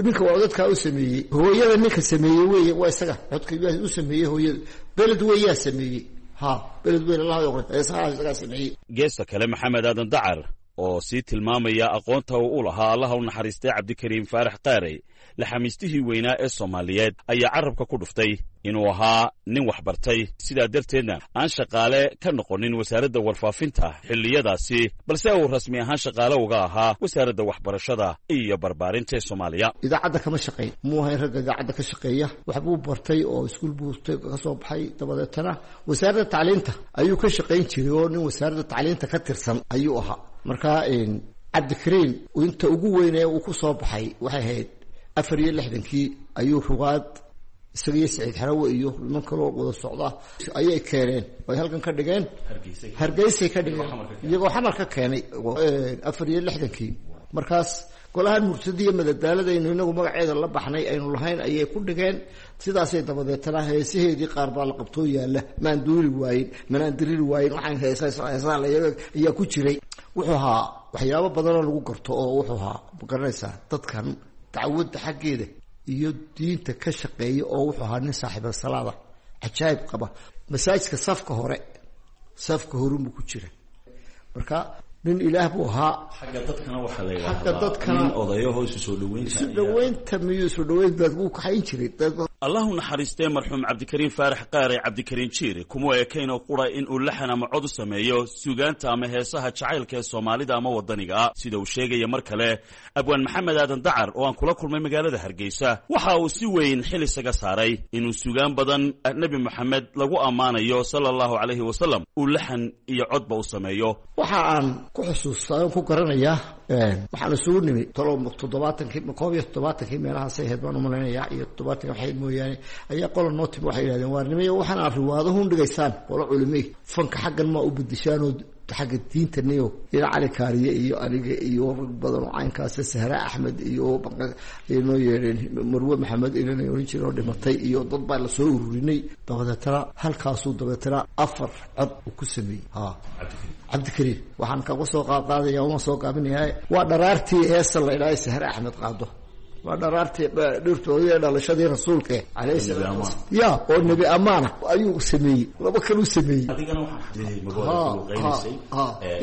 ninka waa dadkaa u sameeyey. Hooyada ninka sameeyey wey, waa isaga codka u sameeyey. Hooyada beled weyaa sameeyey, ha, beled weyn, Allah heesaha isagaa sameeyey. Geesta kale, Maxamed Aadan Dacar oo sii tilmaamaya aqoonta uu u lahaa Allaha u naxariistay Cabdikariim Faarax Qaarey, laxamiistihii weynaa ee Soomaaliyeed, ayaa carrabka ku dhuftay inuu ahaa nin waxbartay, sidaa darteedna aan shaqaale ka noqonin wasaaradda warfaafinta xilliyadaasi, balse uu rasmi ahaan shaqaale uga ahaa wasaaradda waxbarashada iyo barbaarinta ee Soomaaliya. Idaacadda kama shaqeyn, muu ahayn ragga idaacadda ka shaqeeya. Waxbuu bartay oo iskuul buu ka soo baxay, dabadeetana wasaaradda tacliinta ayuu ka shaqayn jiray oo nin wasaaradda tacliinta ka tirsan ayuu ahaa. Marka Cabdikariin inta ugu weyn ee uu ku soo baxay waxay ahayd afar iyo lixdankii ayuu rugaad isaga iyo Saciid Xarawe iyo niman kaloo wada socda ayay keeneen, ay halkan ka dhigeen, Hargeysay ka dhigeen, iyagoo Xamar ka keenay afar iyo lixdankii. Markaas Golahan murtadiiyo madadaaladaynu inagu magaceeda la baxnay aynu lahayn ayay ku dhigeen. Sidaasay dabadeetana heesaheedii qaar baa la qabtoo yaalla, maan duuli waayin, manaan diriri waayin, waxaan heesa heesaha la ayaa ku jiray. Wuxuu ahaa waxyaabo badanoo lagu garto oo wuxuu ahaa, ma garanaysaa, dadkan dacwadda xaggeeda iyo diinta ka shaqeeya, oo wuxuu ahaa nin saaxiiba salaada cajaayib qaba. Masaajidka safka hore, safka horunbuu ku jira. Marka nin ilaah buu ahaa. Xagga dadkana waxaa la Xagga dadkana nin odayaho isu soo dhaweynta isu dhaweynta miyuu isu dhaweyn baad wuu kaxayn jiray dad. Allahu naxariistee marxuum Cabdikariin Faarax Qaare Cabdikariin Jiir kuma ekayn oo qura in uu laxan ama cod u sameeyo suugaanta ama heesaha jacaylka ee Soomaalida ama waddaniga ah, sida uu sheegaya mar kale abwaan Maxamed Aadan Dacar oo aan kula kulmay magaalada Hargeysa. Waxa uu si weyn xil isaga saaray inuu suugaan badan Nebi Moxamed lagu ammaanayo sala allahu calayhi wasalam uu laxan iyo codba u sameeyo. Waxa aan ku xusuustaa oon ku garanayaa, waxaan isugu nimi tolo toddobaatankii, koob iyo toddobaatankii meelahaasay ahayd baan umalaynayaa, iyo toddobaatanki waxay mooyaane, ayaa qola noo timi. Waxay yidhahdeen, waar nimaya, waxaan aad riwaadahun dhigaysaan, qolo culimey, fanka xaggan maa u bedeshaanoo xagga diinta niyo ila Cali Kaariye iyo aniga iyo rag badan oo caynkaas, Sahra Axmed iyo ay noo yeedheen, Marwe Maxamed ilanay oran jireen oo dhimatay, iyo dad baa lasoo ururinay. Dabadeetana halkaasuu dabeetana afar cod uu ku sameeyey ha Cabdikariim. Waxaan kaga soo qaadqaadaya, uma soo gaabinayaa, waa dharaartii heesa la idhaahay Sahre Axmed qaado, waa dharaartii dhirtoodii dhalashadii rasuulka calayhi salaatu wasalaam, ya oo nebi amaana ayuu sameeyey, laba kaluu sameeyey.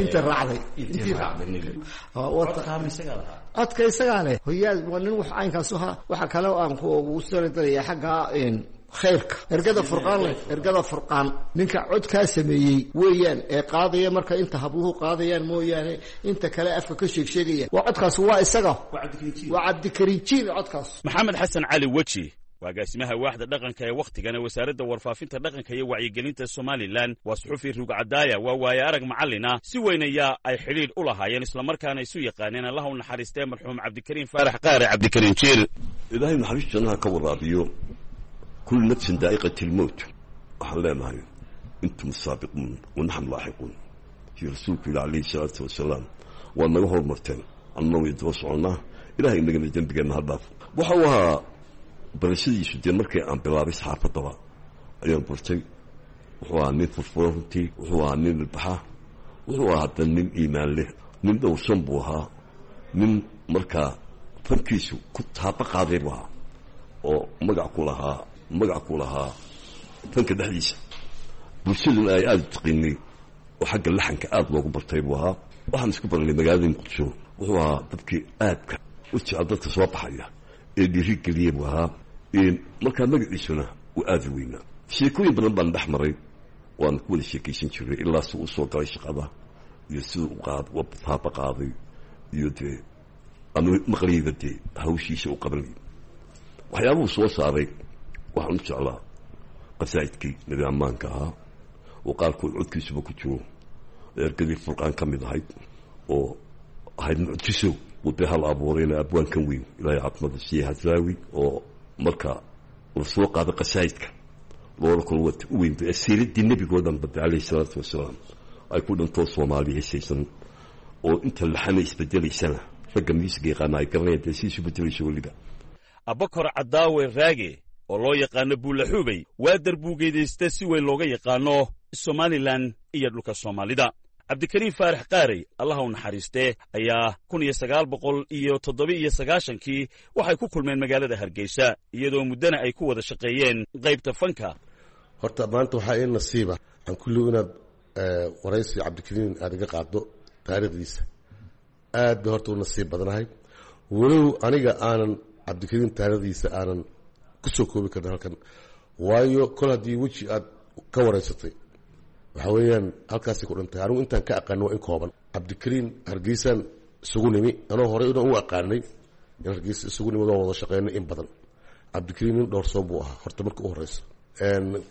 Inta raacday, intii raacday codka isagaa leh hoyaad, waa nin wax caynkaas ahaa. Waxa kale oo aan kugu saradaraya xagga khayrka, ergada Furqaan leh, ergada Furqaan ninka codkaa sameeyey weeyaan ee qaadaya. Marka inta habluhu qaadayaan mooyaane inta kale afka ka sheeg sheegaya waa codkaas, waa isaga, waa Cabdikariin Jiir codkaas. Maxamed Xasan Cali Weji waa agaasimaha waaxda dhaqanka ee wakhtigana wasaaradda warfaafinta dhaqanka iyo wacyigelinta Somalilan. Waa suxufi rugcadaaya, waa waaye arag macallina, si weyn ayaa ay xidhiidh u lahaayeen islamarkaana isu yaqaaneen allaha u naxariistee marxuum Cabdikariin Faarax Qaare Cabdikariin Jiir. Ilaahay naxariis jannaha ka waraabiyo. Kullu nafsin daa'iqati lmowt, waxaan leenahay intum saabiquun wa naxnu laaxiquun. Kii rasuulku yihi calayhi salaatu wasalaam, waa naga hormarteen, annana way daba soconnaa. Ilahay inagana dembigeenna ha dhaafo. Waxa uu ahaa barashadiisu dee markii aan bilaabay saxaafaddaba ayaan bartay. Wuxuu ahaa nin furfuran runtii, wuxuu ahaa nin ilbaxa, wuxuu ahaa hadda nin iimaan leh, nin dhowrsan buu ahaa, nin markaa fankiisu ku taaba qaaday buu ahaa oo magac ku lahaa, magac ku lahaa fanka dhexdiisa, bulshaduna ay aada u taqiinay oo xagga laxanka aada loogu bartay buu ahaa. Waxaan isku baranay magaalada Muqdisho. Wuxuu ahaa dadkii aadka u jecel dadka soo baxaya ee dhiiri geliya buu ahaa. Markaa magaciisuna uu aada u weynaa. Sheekooyin badan baan dhex maray, waan ku wada sheekaysan jiray ilaa si uu soo galay shaqada iyo siduu uqaad taaba qaaday iyo dee anu maqlayba dee hawshiisa u qabanay, waxyaabuhu soo saaray. Waxaan u jeclaa qasaa'idkii nebi ammaanka ahaa oo qaarkood codkiisuba ku jiro, ergadii Furqaan ka mid ahayd oo ahayd mucjiso uu dee hal abuurayna abwaankan weyn, Ilaahay caafimaadka siiye, Hadraawi, oo marka la soo qaado qasaa'idka loola kalo wata u weyn asiiradii nebigoo dhan bade calayhi salaatu wasalaam ay ku dhantoo Soomaaliya hesaysan oo inta laxana isbedelaysana ragga miisiga yaqaana ay garanayaan dee si isu bedelayso weliba. Abakor Cadaawe Raage oo loo yaqaano Buulaxuubey waa darbuugeedaysta si weyn looga yaqaano Somalilan iyo dhulka Soomaalida. Cabdikariin Faarax Qaarey allaha u naxariistee ayaa kun iyo sagaal boqol iyo toddoba iyo sagaashankii waxay ku kulmeen magaalada Hargeysa, iyadoo muddana ay ku wada shaqeeyeen qaybta fanka. Horta maanta waxaa ii nasiiba aan kulligu inaad waraysi Cabdikariin aad iga qaaddo taariikhdiisa. Aad bay horta u nasiib badnahay, walow aniga aanan Cabdikariin taariikhdiisa aanan ku soo koobi karna halkan, waayo kol haddii weji aad ka waraysatay waxaa weeyaan halkaasay ku dhantay. Anigu intaan ka aqaanin waa in kooban. Cabdikariin Hargeysaan isugu nimi, anoo horey inaan u aqaanay in Hargeysa isugu nimi, waan wada shaqeynay in badan. Cabdikariin nin dhowrsoon buu ahaa horta marka u horeysa.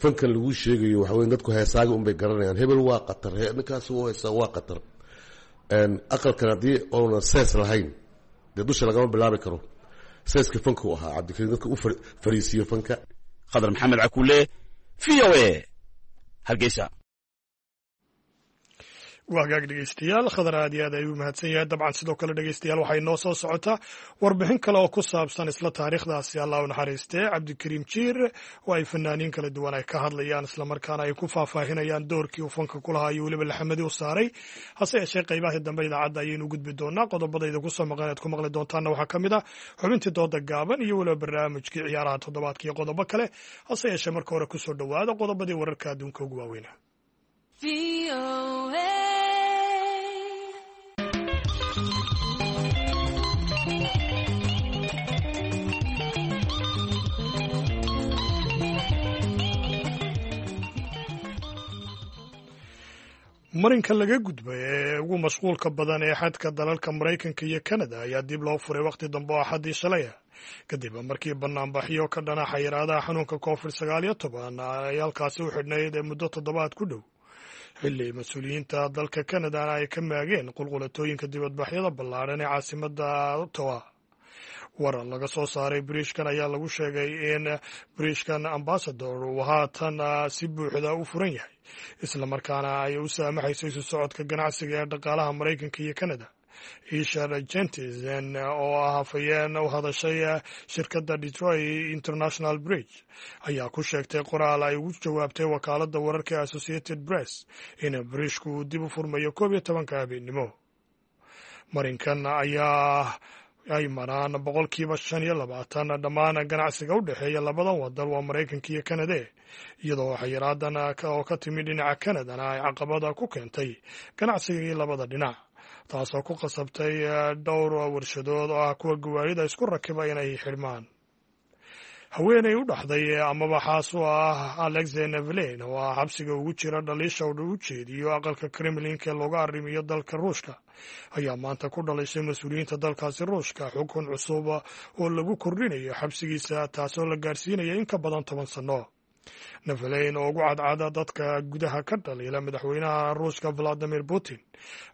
Fankan laguu sheegayo waxa weya dadku heesaaga unbay garanayaan, hebel waa qatar, ninkaas u heesaa waa qatar. Aqalkan haddii oona sees lahayn dee dusha lagama bilaabi karo. Seeska fanka u ahaa Cabdikariin dadka u fariisiiyo fanka. Khadar Maxamed Cakuule, V O A, Hargeysa. Waa hagaag dhegeystayaal, Khadar aad iyo aad ayuu mahadsan yahay. Dabcan sidoo kale dhegeystayaal, waxay noo soo socotaa warbixin kale oo ku saabsan isla taariikhdaasi Allah u naxariistee Cabdikariim Jiir, oo ay fanaaniin kala duwan ay ka hadlayaan islamarkaana ay ku faahfaahinayaan doorkii uu fanka ku lahaa iyo weliba laxamadii u saaray. Hase yeeshee qaybaha dambe idaacadda ayaynu gudbi doonaa. Qodobadayda kusoo maqan aad ku maqli doontaanna waxaa ka mid ah xubintii dooda gaaban iyo weliba barnaamijkii ciyaaraha toddobaadka iyo qodobo kale. Hase yeeshee marka hore kusoo dhowaada qodobadii wararka adduunka ugu waaweynaa. Marinka laga gudbay ee ugu mashquulka badan ee xadka dalalka Maraykanka iyo Kanada ayaa dib loo furay wakhti dambe oo Axaddii shalaya, kadib markii banaanbaxyo ka dhana xayiraadaha xanuunka Covid sagaal iyo toban ay halkaasi u xidhnayd ee muddo toddobaad ku dhow, xilli mas-uuliyiinta dalka Kanadana ay ka maageen qulqulatooyinka dibadbaxyada ballaadhan ee caasimadda Ottawa. Warar laga soo saaray biriishkan ayaa lagu sheegay in biriishkan Ambassador uu haatan si buuxda u furan yahay, islamarkaana ay u saamaxayso isu socodka ganacsiga ee dhaqaalaha Maraykanka iyo Canada. Ishar Jentisen oo ah hafayeen u hadashay shirkadda Detroit International Bridge ayaa ku sheegtay qoraal ay ugu jawaabtay wakaaladda wararka ee Associated Press in biriishku uu dib u furmayo koob iyo tobanka habeennimo. Marinkan ayaa ay maraan boqolkiiba shan iyo labaatan dhammaan ganacsiga u dhexeeya labadan wadan, waa Maraykanka iyo Kanade, iyadoo xayiraadan oo ka timi dhinaca Kanadana ay caqabada ku keentay ganacsigii labada dhinac, taasoo ku qasabtay dhowr warshadood oo ah kuwa gawaarida isku rakiba inay xidhmaan. Haweeney u dhaxday amaba xaas u ah Alexei Navalny oo ah xabsiga ugu jira dhaliisha uu u jeediyo aqalka Kremlinka ee looga arrimiyo dalka Ruushka ayaa maanta ku dhalishay mas-uuliyiinta dalkaasi Ruushka xukun cusub oo lagu kordhinayo xabsigiisa, taasoo la gaarsiinaya in ka badan toban sano. Navalny oo ugu cadcada dadka gudaha ka dhaliila madaxweynaha Ruushka Vladimir Putin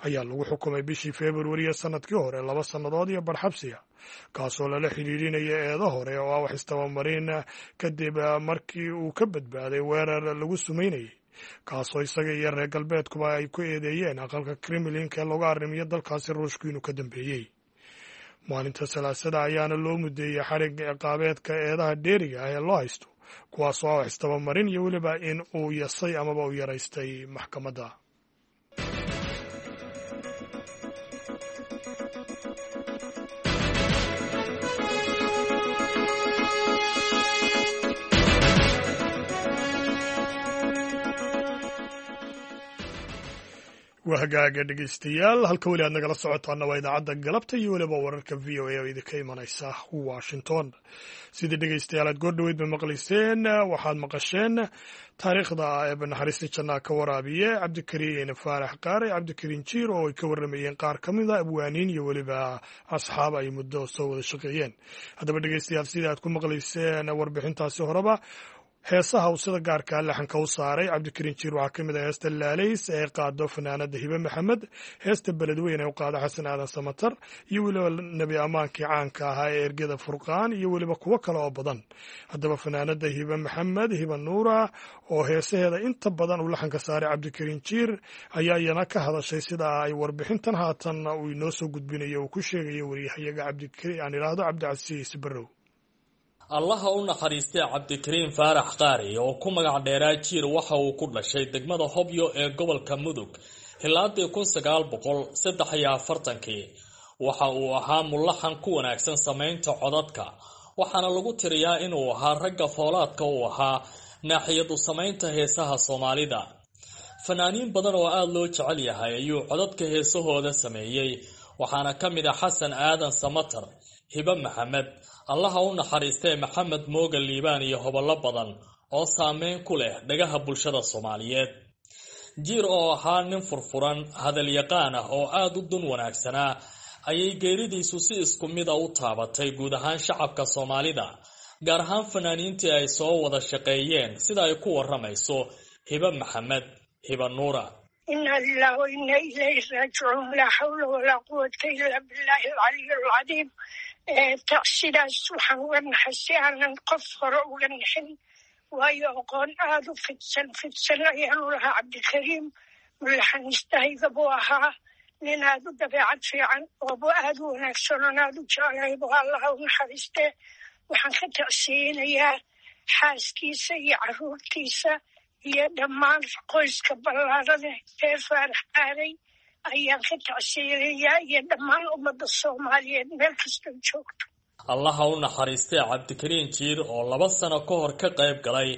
ayaa lagu xukumay bishii Februariya sanadkii hore laba sannadood iyo barxabsiga, kaasoo lala xidhiidhinaya eedo hore oo ah wax istabamarin, kadib markii uu ka badbaaday weerar lagu sumaynayay, kaasoo isaga iyo reer galbeedkuba ay ku eedeeyeen aqalka Kremlinka ee looga arrimiyo dalkaasi Ruushku inuu ka dambeeyey. Maalinta Salaasada ayaana loo mudeeyey xarig ciqaabeedka eedaha dheeriga ah ee loo haysto, kuwaasoo ah wax istabamarin iyo weliba in uu yasay amaba uu yaraystay maxkamadda. Waa hagaaga dhegeystayaal, halka weli aad nagala socotaana waa idaacadda galabta iyo weliba wararka V O A oo idinka imanaysa Washington. Sidii dhegeystayaal aad goordhoweyd ba maqlayseen, waxaad maqasheen taariikhda eeba naxariista jannaa ka waraabiye Cabdikariin Faarax Qaare Cabdikariin Jiir, oo ay ka warramayeen qaar ka mid a abwaaniin iyo weliba asxaab ay muddo soo wada shaqeeyeen. Haddaba dhegeystayaal, sidii aad ku maqlayseen warbixintaasi horeba, heesaha uu sida gaarkaa laxanka u saaray Cabdikariin Jiir waxaa ka mid ah heesta Laalays ee qaado fanaanada Hibe Maxamed, heesta Beledweyne ee u qaado Xasan Aadan Samatar, iyo weliba nebi ammaankii caanka ahaa ee Ergada Furqaan, iyo weliba kuwo kale oo badan. Haddaba fanaanada Hibe Maxamed, Hibe Nuura, oo heesaheeda inta badan uu laxanka saaray Cabdikariin Jiir, ayaa iyana ka hadashay sida ay warbixintan haatan uu inoo soo gudbinayo uu ku sheegayo wariyahayaga aan idhaahdo Cabdicasiis Barrow. Allaha u naxariistay Cabdikariin Faarax Qaari oo ku magac dheeraa Jiir waxa uu ku dhashay degmada Hobyo ee gobolka Mudug hilaadii kun sagaal boqol saddex iyo afartankii. Waxa uu ahaa mulaxan ku wanaagsan samaynta codadka, waxaana lagu tiriyaa inuu ahaa ragga foolaadka u ahaa naaxiyadu samaynta heesaha Soomaalida. Fanaaniin badan oo aada loo jecel yahay ayuu codadka heesahooda sameeyey, waxaana ka mid ah Xasan Aadan Samatar, Hibe Maxamed, Allaha u naxariistee Maxamed Mooga Liibaan iyo hobollo badan oo saameyn ku leh dhagaha bulshada Soomaaliyeed. Jiir oo ahaa nin furfuran, hadalyaqaan ah oo aada u dun wanaagsanaa ayay geeridiisu si isku mid a u taabatay guud ahaan shacabka Soomaalida, gaar ahaan fanaaniintii ay soo wada shaqeeyeen, sida ay ku waramayso Hibe Maxamed, Hibe Nuura. Inna lillahi wa inna ilayhi raajicuun, laa xawla walaa quwata illaa billaahi alcaliyi alcadiim. Sidaas waxaan uga naxay si aanan qof hore uga naxin, waayo aqoon aada u fidsan fidsan ayaanu lahaa Cabdikariim. Mulaxaniistahayga buu ahaa, nin aad u dabeecad fiican oobu aad u wanaagsan oon aad u jeclahay buu, Allaha u naxariistee. Waxaan ka tacsiinayaa xaaskiisa iyo caruurtiisa iyo dhammaan qoyska ballaarada reer Faarax Qaaray ayaan ka tacsiinayaa, iyo dhammaan ummadda Soomaaliyeed meel kastoo joogto. Allaha u naxariistay Cabdikariin Jiir oo laba sano ka hor ka qayb galay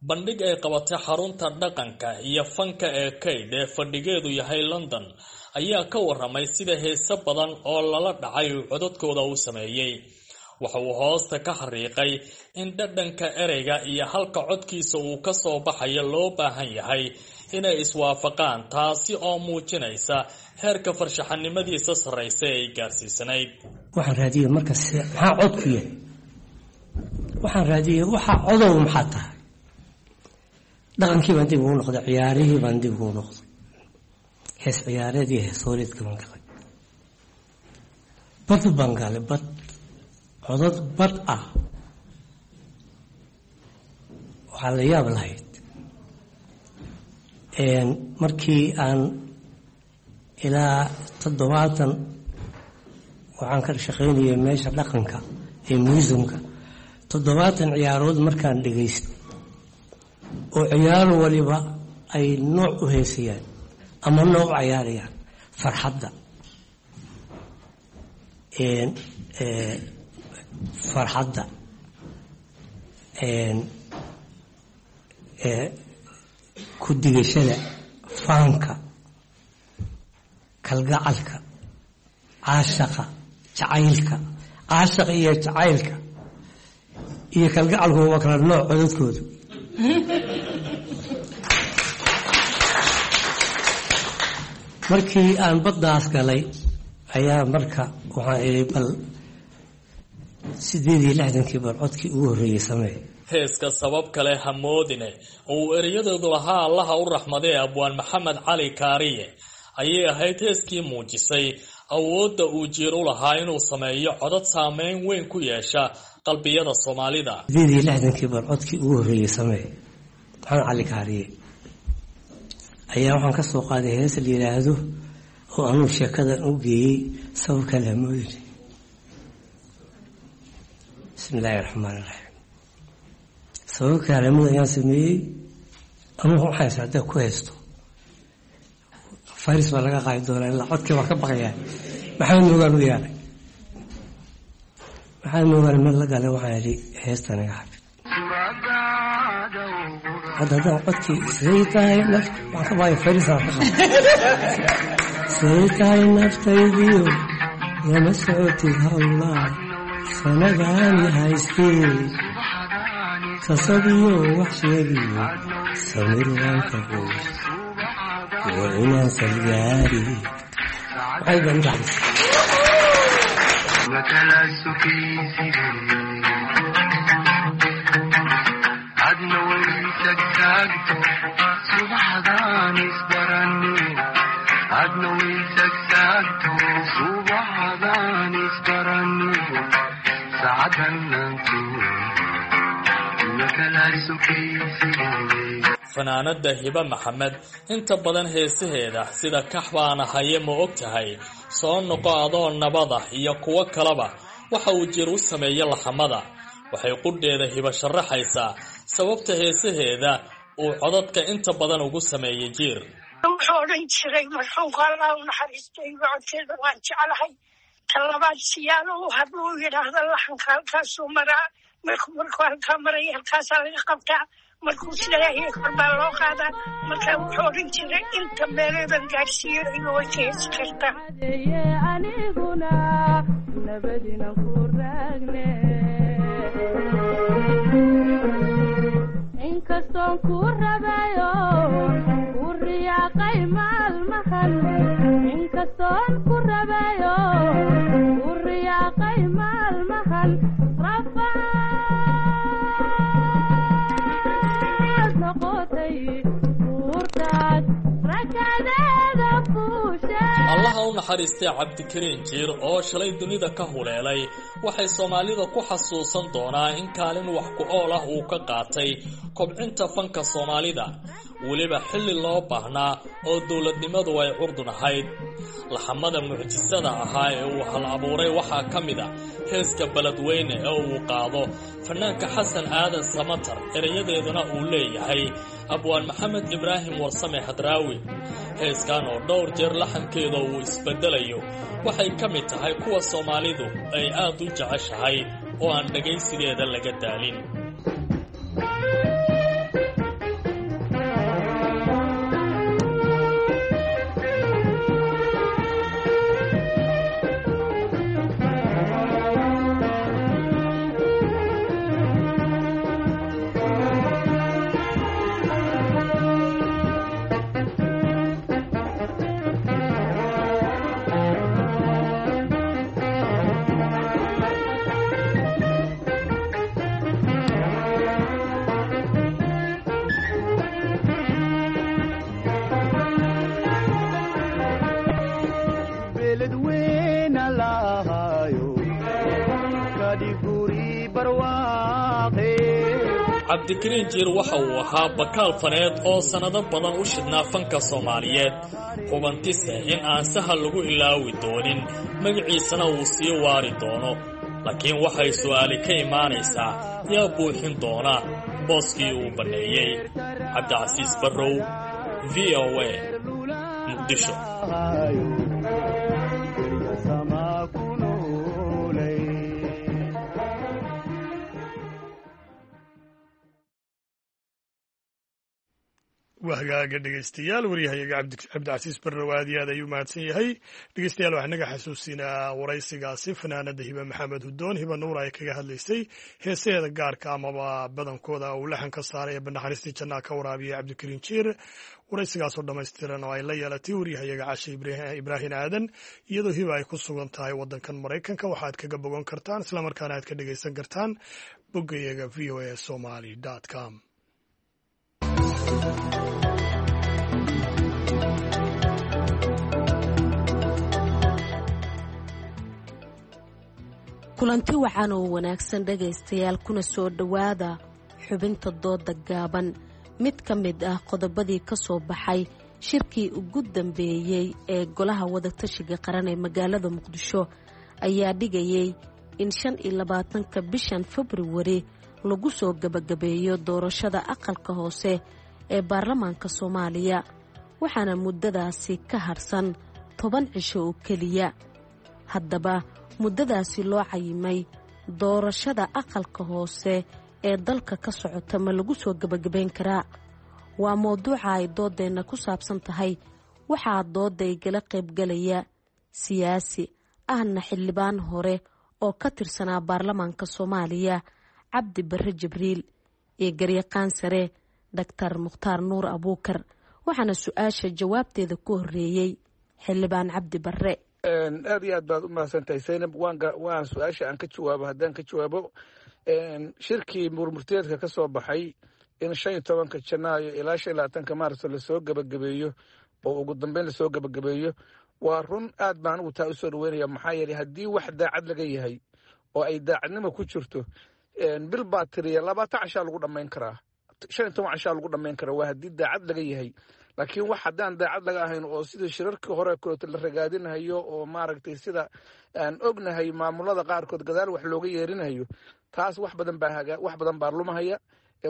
bandhig ay qabatay xarunta dhaqanka iyo fanka ee Kayd ee fadhigeedu yahay London ayaa ka waramay sida heese badan oo lala dhacay uu codadkooda u sameeyey. Waxa uu hoosta ka xariiqay in dhadhanka ereyga iyo halka codkiisa uu ka soo baxayo loo baahan yahay inay iswaafaqaan, taasi oo muujinaysa heerka farshaxanimadiisa sarraysa ay gaarsiisanayd. Waxaan raadiyey marka maxaa codku yahay, waxaan raadiyey waxaa codow maxaa tahay. Dhaqankii baan dib ugu noqday, ciyaarihii baan dib ugu noqday, hees ciyaareed iyo hees hooleedka baan galay, bad baan galay, bad codad bad ah. Waxaa la yaab lahayd markii aan ilaa toddobaatan waxaan ka shaqaynayay meesha dhaqanka ee muusumka, toddobaatan ciyaarood markaan dhegaysto oo ciyaar waliba ay nooc u heesayaan ama nooc u cayaarayaan, farxadda farxadda ku digashada, faanka, kalgacalka, caashaqa, jacaylka, caashaqa iyo jacaylka iyo kalgacalku waa kala nooc codadkoodu. Markii aan baddaas galay ayaa marka waxaan idhi bal sideed iyo lixdankii bal codkii ugu horreeyey samee. Heeska sabab kale hamoodine oo uu ereyadoodu lahaa Allaha u raxmadee Abwaan Maxamed Cali Kaariye ayay ahayd heeskii muujisay awoodda uu Jiir u lahaa inuu sameeyo codad saameyn weyn ku yeesha qalbiyada Soomaalida. Sideed iyo lixdankii bal codkii ugu horreeyey samee, Maxamed Cali Kaariye ayaa waxaan ka soo qaaday hees la yidhaahdo oo anuu sheekadan u geeyey sabab kale hamoodine. Bismi illaahi raxmaan iraxiim. Sabab kale hamood ayaan sameeyey, anugu waxaan haysaa haddaa ku haysto faris baa laga qaadi doonaa, ilaa codkii baa ka baqayaa. Maxamed Moogaan u yeelay, Maxamed Moogaan meel la galay, waxaan idhi heesta naga xafid. Hadda haddaan codkii siday tahay naf waxaan ka baqaya faris aan ka qabo. Siday tahay naftaydiyo lama socotid hawlaa sanadaani haystee, sasabiyo wax sheegiyo samir waan ka qoys waa inaan salgaari. Waxay baan intaxdis Fanaanada Hiba Maxamed inta badan heesaheeda sida Kax Baana Haye, Ma Og Tahay, Soo Noqo Adoo Nabada iyo kuwo kaleba waxa uu Jiir u sameeyey laxamada. Waxay qudheeda Hiba sharaxaysaa sababta heesaheeda uu codadka inta badan ugu sameeyey Jiir. Wuxuu odhan jiray marxuumka, Allah u naxariistay, codkeeda waan jeclahay. Talabaad siyaalo u hadluu yidhaahda laxanka halkaasuu maraa, markuu markuu halkaa maraya halkaasaa laga qabtaa, markuu sileeyahay kor baa loo qaadaa. Marka wuxuu odhan jiray inta meeleedan gaadhsiiyo iga way ka heesi kartaa. Aniguna nabadina ku raagne, inkastoon ku rabayo ku riyaaqay maalmahan, inkastoon ku rabayo ku riyaaqay maalmahan, rafaad noqotay buurtaad rakadeeda fuushe. Allaha u naxariistay Cabdikariin Jiir oo shalay dunida ka huleelay, waxay Soomaalida ku xasuusan doonaa in kaalin wax ku ool ah uu ka qaatay kobcinta fanka Soomaalida, weliba xilli loo baahnaa oo dowladnimadu ay curdun ahayd. Laxamada mucjisada ahaa ee uu hal abuuray waxaa ka mid a heeska Beledweyne ee uu qaado fanaanka Xasan Aadan Samatar, erayadeeduna uu leeyahay Abwaan Maxamed Ibraahim Warsame Hadraawi. Heeskan oo dhowr jeer laxankeeda uu isbedelayo waxay ka mid tahay kuwa Soomaalidu ay aad u jeceshahay oo aan dhagaysigeeda laga daalin. Cabdikariin Jiir waxa uu ahaa bakaal faneed oo sannado badan u shidhnaa fanka Soomaaliyeed, hubantise in aan sahal lagu ilaawi doonin, magaciisana uu sii waari doono. Laakiin waxay su'aali ka imaanaysaa, yaa buuxin doona booskii uu banneeyey? Cabdicasiis Barrow, V O A, Muqdisho. Wahagaaga dhegeystayaal, waryahayaga Cabdicasiis Barrow aad iyo aad ayuu mahadsan yahay. Dhegeystayaal, waxaa naga xasuusinaa waraysigaasi fanaanada Hibe Maxamed Hudoon, Hiba Nuur, ay kaga hadlaysay heesaheeda gaarka amaba badankooda uu laxan ka saaray ee banaxariistii jannaa ka waraabiyay Cabdikariin Jiir. Waraysigaasoo dhammaystiran oo ay la yeelatay waryahayaga Cashe Ibraahin Aadan, iyadoo Hiba ay ku sugan tahay waddankan Maraykanka, waxaad kaga bogan kartaan islamarkaana aad ka dhegeysan kartaan boggayaga V o a somali com. Kulanti wacan oo wanaagsan dhegaystayaal, kuna soo dhowaada xubinta dooda gaaban. Mid ka mid ah qodobadii ka soo baxay shirkii ugu dambeeyey ee golaha wadatashiga qaran ee magaalada Muqdisho ayaa dhigayay in shan iyo labaatanka bishan Februari lagu soo gebagabeeyo doorashada aqalka hoose ee baarlamaanka Soomaaliya, waxaana muddadaasi ka harsan toban cisho oo keliya. Haddaba muddadaasi loo cayimay doorashada aqalka hoose ee dalka ka socota ma lagu soo gebagabeyn karaa? Waa mowduuca ay doodeenna ku saabsan tahay. Waxaa doodda igala qaybgalaya siyaasi ahna xildhibaan hore oo ka tirsanaa baarlamaanka Soomaaliya, Cabdi Barre Jibriil, iyo garyaqaan sare Doctor Mukhtaar Nuur Abuukar. Waxaana su-aasha jawaabteeda ku horreeyey xildhibaan Cabdi Barre. Aad iyo aad baad u mahadsantahay Zaynab. Waan waan su-aasha aan ka jawaabo, haddaan ka jawaabo shirkii murmurteedka ka soo baxay in shan iyo tobanka Janaayo ilaa shan iyo labaatanka Maarso lasoo gebagabeeyo oo ugu dambeyn lasoo gebagabeeyo, waa run, aad baan anigu taa usoo dhaweynaya. Maxaa yeelay, haddii wax daacad laga yahay oo ay daacadnimo ku jirto, bil baa tiriya, labaatan cashaa lagu dhammayn karaa, shan iyo toban cashaa lagu dhammayn karaa, waa haddii daacad laga yahay. Laakiin wax haddaan daacad laga ahayn oo sida shirarkii hore kaleeto la ragaadinayo oo maaragtay sida aan ognahay maamulada qaarkood gadaal wax looga yeerinayo, taas wax badan baa haga, wax badan baa lumahaya,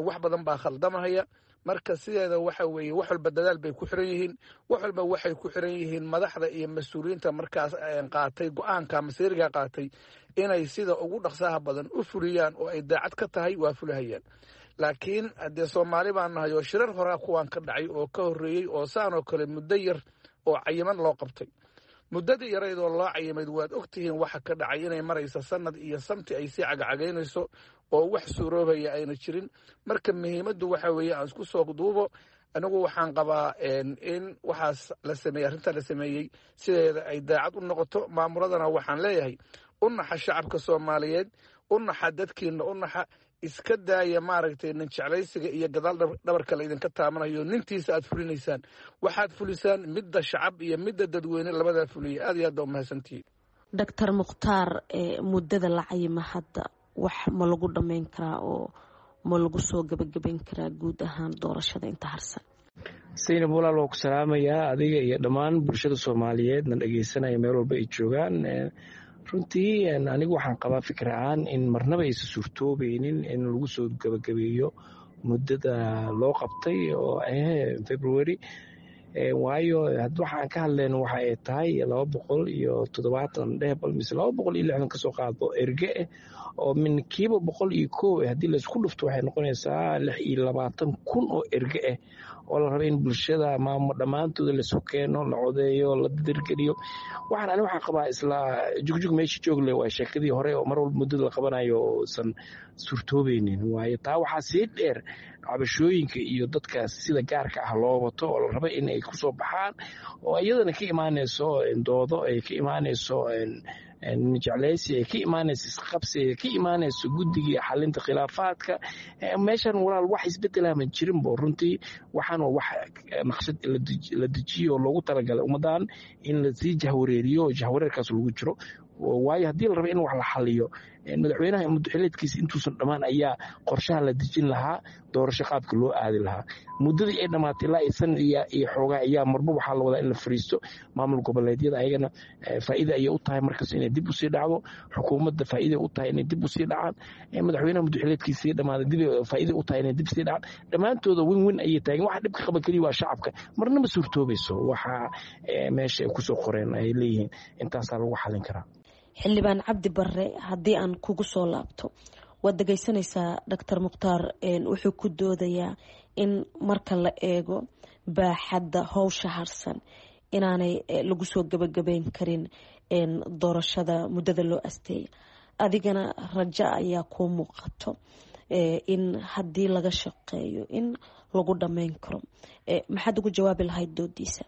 wax badan baa khaldamahaya. Marka sideeda waxa weeye, wax walba dadaal bay ku xiran yihiin, wax walba waxay ku xiran yihiin madaxda iyo mas-uuliyiinta markaas qaatay go-aanka masiiriga qaatay inay sida ugu dhaqsaha badan u fuliyaan oo ay daacad ka tahay, waa fulahayaan. Laakiin haddee Soomaali baan nahay oo shirar horaa kuwaan ka dhacay oo ka horreeyey oo saan oo kale muddo yar oo cayiman loo qabtay, muddadii yarayd oo loo cayimayd waad ogtihiin waxa ka dhacay, inay maraysa sanad iyo samti ay sii cagacagaynayso oo wax suuroobaya ayna jirin. Marka muhiimaddu waxa weeye, aan isku soo duubo, anigu waxaan qabaa in waxaas la sameeyey, arrintaa la sameeyey sideeda ay daacad u noqoto. Maamuladana waxaan leeyahay, u naxa shacabka Soomaaliyeed, u naxa dadkiina, u naxa Iska daaya maaragtay nin jeclaysiga iyo gadaal dhabarka la idinka taabanayo. Nintiisa aad fulinaysaan, waxaad fulisaan midda shacab iyo midda dadweyne, labadaa fuliya. Aad iyo aad baa umahadsantihiin. Doctor Mukhtaar, muddada la cayima hadda wax ma lagu dhammayn karaa oo ma lagu soo gabagabayn karaa guud ahaan doorashada inta harsan? Saynab walaal, waa ku salaamayaa adiga iyo dhammaan bulshada Soomaaliyeed na dhegeysanaya meel walba ay joogaan. Runtii anigu waxaan qabaa fikir ahaan in marnaba aysan suurtoobeynin in lagu soo gabagabeeyo muddada loo qabtay oo ah February, waayo waxaan ka hadlayno waxa ay tahay laba boqol iyo toddobaatan dhehbal mise laba boqol iyo lixdan kasoo qaadbo erge ah oo min kiiba boqol iyo kow ah. Haddii laysku dhufto, waxay noqonaysaa lix iyo labaatan kun oo erge ah oo la raba in bulshada maamo dhammaantooda laisu keeno, la codeeyo, la dirgeliyo. Waxaan ani waxaan qabaa isla jugjug meesha joogle waa sheekadii hore oo mar walba muddada la qabanayo oosan suurtoobeynin. Waayo, taa waxaa sii dheer cabashooyinka iyo dadka sida gaarka ah loo wato oo la raba in ay kusoo baxaan, oo iyadana ka imaanayso doodo, ay ka imaanayso jeclaysi, ay ka imaanayso isqabsi, ay ka imaanayso guddigii xalinta khilaafaadka. Meeshan walaal wax isbedelaa ma jirinbo. Runtii waxaan waa wax naqshad la dejiyo oo loogu talagalay ummaddan in lasii jahwareeriyo oo jahwareerkaas lagu jiro. Waayo, haddii la rabo in wax la xaliyo, madaxweynaha muddoxileedkiisa intuusan dhammaan ayaa qorshaha la dejin lahaa, doorasho qaabka loo aadi lahaa. Muddadii ay dhammaatay ilaa san iyo xoogaa ayaa marba waxaa la wadaa in la fariisto. Maamul goboleedyada ayagana faa'iida ayay u tahay markas inay dib usii dhacdo, xukuumadda faa'iida u tahay inay dib usii dhacaan, madaxweynaha muddoxileedkiisii dhammaaday dib faa'iida u tahay inay dib sii dhacaan. Dhammaantooda win win ayay taagan. Waxa dhibka qaba keliya waa shacabka. Marnaba suurtoobayso waxa meesha ay kusoo qoreen ay leeyihiin intaasaa lagu xalin karaa. Xildhibaan Cabdi Barre, haddii aan kugu soo laabto, waad dhegeysanaysaa Doctor Mukhtaar wuxuu ku doodayaa in marka la eego baaxadda howsha harsan inaanay lagu soo gabagabeyn karin doorashada muddada loo asteeya. Adigana rajo ayaa kuu muuqato in haddii laga shaqeeyo in lagu dhammeyn karo. Maxaad ugu jawaabi lahayd doodiisa?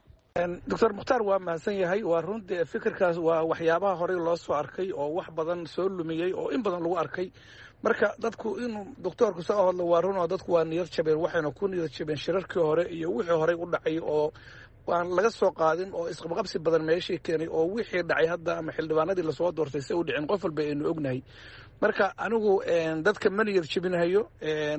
Doctor Mukhtaar waa mahadsan yahay. Waa runtii, fikirkaas waa waxyaabaha horey loo soo arkay oo wax badan soo lumiyey oo in badan lagu arkay. Marka dadku inuu doctoorku soo hadlo waa run oo dadku waa niyad jabeen, waxayna ku niyad jabeen shirarkii hore iyo wixii horey u dhacay oo aan laga soo qaadin oo isqabqabsi badan meeshii keenay, oo wixii dhacay hadda ama xildhibaanadii lasoo doortay si u dhicin qof walba aynu ognahay. Marka anigu dadka ma niyad jebinahayo,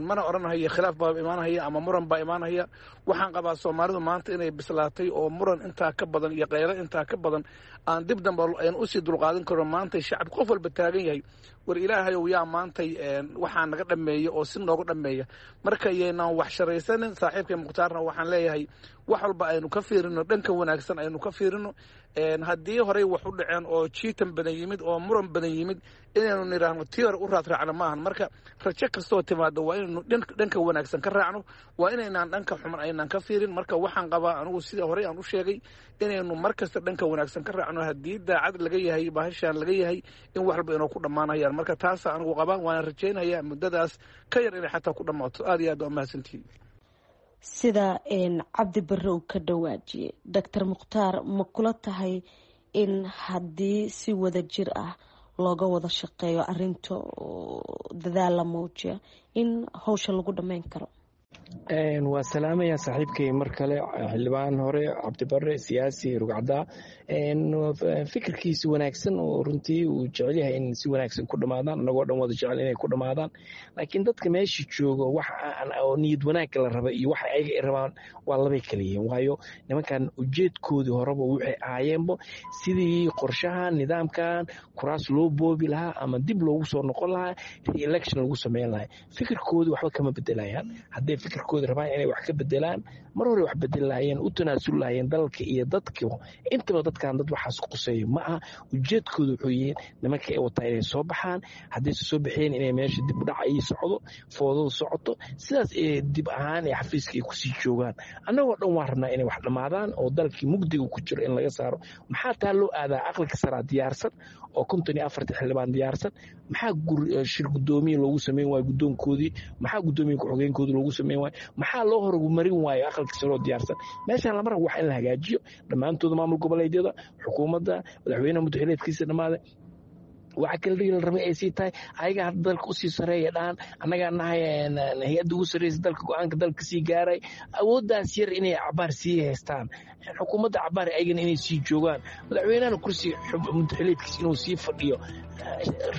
mana odhanhayo khilaaf baa imaanhaya ama muran baa imaanhaya. Waxaan qabaa Soomaalidu maanta inay bislaatay oo muran intaa ka badan iyo qaylo intaa ka badan aan dib dambe aynu usii dulqaadan karno. Maantay shacab qof walba taagan yahay, war Ilaahayow, yaa maantay waxaa naga dhammeeya oo si nooga dhammeeya? Marka yaynaan wax sharaysanin. Saaxiibkay Mukhtaarna waxaan leeyahay, wax walba aynu ka fiirino dhanka wanaagsan, aynu ka fiirino. Haddii horey wax u dhaceen oo jiitan badan yimid oo muran badan yimid, inaynu nidhaahno tii hore u raad raacno maahan. Marka rajo kastoo timaado waa inaynu dhanka wanaagsan ka raacno, waa inaynaan dhanka xuman aynaan ka fiirin. Marka waxaan qabaa anigu, sida horey aan u sheegay, inaynu mar kasta dhanka wanaagsan ka raacno haddii daacad laga yahay bahashaan laga yahay in wax walba inoo ku dhammaanayaan. Marka taasa anigu qabaa, waana rajaynayaa muddadaas ka yar inay xataa ku dhammaato. Aad iyo aad waa mahadsantihiin. Sida Cabdi Barre uu ka dhawaajiyey, Doctor Mukhtaar, ma kula tahay in haddii si wada jir ah looga wada shaqeeyo arinta oo dadaal la muujiya in howsha lagu dhammayn karo? Waa salaamaya saaxiibkay mar kale, xildhibaan hore Cabdibare, siyaasi rugcaddaa. Fikirkiisi wanaagsan oo runtii uu jecel yahay in si wanaagsan ku dhammaadaan, anagoo dhan wada jecel inay ku dhammaadaan, laakiin dadka meesha joogo wax oo niyad wanaagga la raba iyo waxa ayaga ay rabaan waa labay kala yihiin. Waayo, nimankan ujeedkoodii horeba waxay ahaayeenbo sidii qorshahan nidaamkan kuraas loo boobi lahaa ama dib loogu soo noqon lahaa, re-election lagu sameyn lahaa. Fikirkoodii waxba kama bedelayaan. Hadday fikirkooda rabaan inay wax ka bedelaan, mar hore wax bedeli lahayeen, u tanaasuli lahayeen dalka iyo dadka intaba. Dadkan dad waxaas quseeyo ma aha. Ujeedkooda wuxuu yihiin nimanka ay wataa inay soo baxaan. Haddayse soo baxeen, inay meesha dib u dhac ay socdo, foodadu socoto, sidaas ee dib ahaan ee xafiiska ay kusii joogaan. Annagoo dhan waan rabnaa inay wax dhammaadaan oo dalkii mugdiga ku jiro in laga saaro. Maxaa taa loo aadaa? Aqalka saraa diyaarsan oo konton iyo afarta xildhibaan diyaarsan. Maxaa shir guddoomiye loogu sameyn waayo guddoonkoodii? Maxaa guddoomiye ku-xigeenkoodii loogu sameyn waayo? Maxaa loo horumarin waayo aqalka saroo diyaarsan? Meeshaan lama rabo wax in la hagaajiyo. Dhammaantooda maamul goboleedyada, xukuumadda, madaxweynaha muddaxileedkiisa dhammaaday. Waxa kala dhigi la rabay ay sii tahay ayaga hadda dalka usii sareeya dhahan annagaa nahay hay-adda ugu sarreysa dalka, go-aanka dalka sii gaaray, awooddaas yar inay cabaar sii haystaan xukuumadda, cabaar ayagana inay sii joogaan, madaxweynahana kursi muddaxileedkiis inuu sii fadhiyo.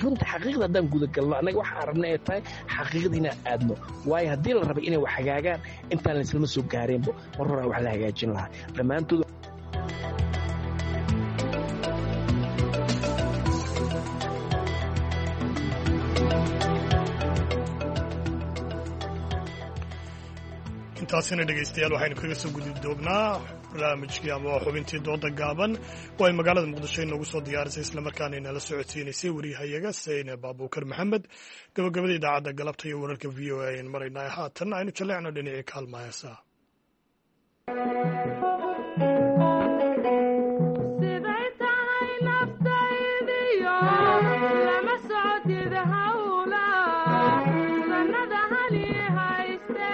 Runta xaqiiqda haddaan gudagalno, annaga waxaan rabna ay tahay xaqiiqda inaan aadno, waayo haddii la rabay inay wax hagaagaan intaan laislama soo gaareenbo, mar horaa wax la hagaajin lahaa dhammaantood. Intaasina dhegaystayaal waxaynu kaga soo gudi doognaa barnaamijkii ama xubintii dooda gaaban oo ay magaalada Muqdisho inoogu soo diyaarisay islamarkaana inala socodsiinaysay wariyahayaga Seyne Baabuukar Maxamed. Gabagabada idaacadda galabta iyo wararka V O A aynu maraynaa, haatan aynu jaleecno dhinacii kaalma heesaa. Siday tahay naftaydiyo lama socotid hawla sannada hali hayste.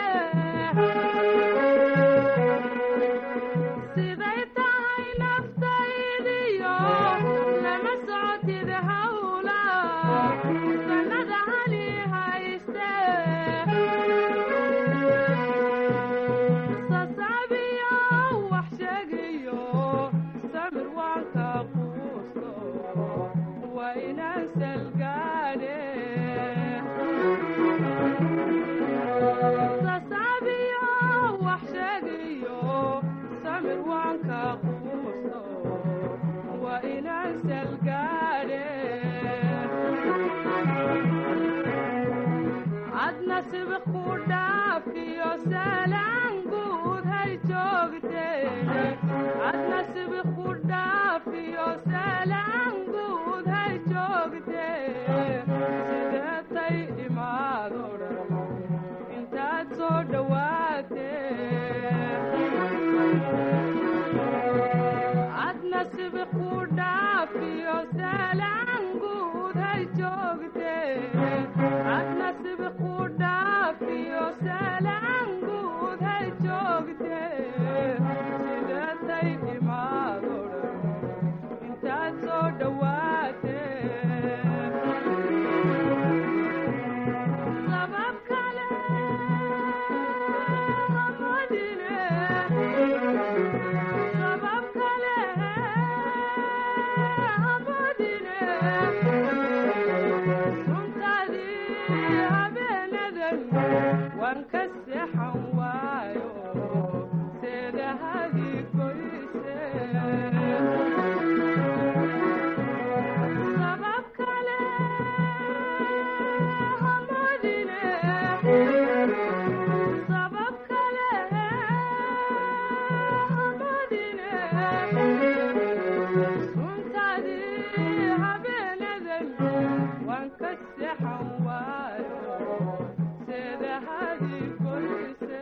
Siday tahay naftaydiyo lama socotid hawla sannada hali hayste. Sasabiyo wax sheegayo samir waan ka quusto, waa inaan salgaadhe. Sasabiyo wax sheegayo samir waan ka quusto, waa inaan salgaadhe. Adna sibiq ku dhaafiyo salaan guud hay joogteene, adna sibiq ku dhaafiyo salaan guud hay joogtee. Sideetay imaado dhan intaad soo dhowaatee, adna sibiq ku dhaafiyo salaan guud hay joogtee, adna sibiq ku dhaafiyo salaan guud hay joogtee. Sideetay imaado dhan intaad soo dhowaatee, sabab kale hamadine, sabab kale hamadine. Suntaadii habeenadan waan ka seexan waayo seedahadii goyse. Sabab kale hamadine, sabab kale hamadine. Suntaadii habeenadan waan ka seexan waayo seedahadii goyse.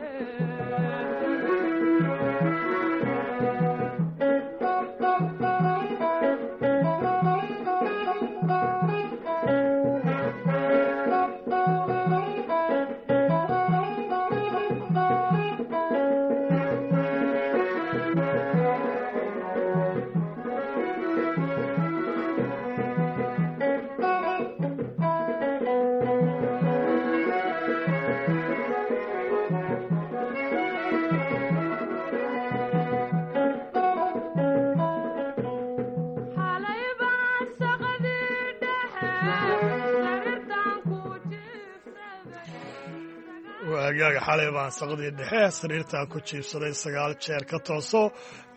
Xalay baan saqadii dhexe sariirtaan ku Waagaaga xalay baan saqdii dhexe sariirtaan ku jiibsaday sagaal jeer ka tooso.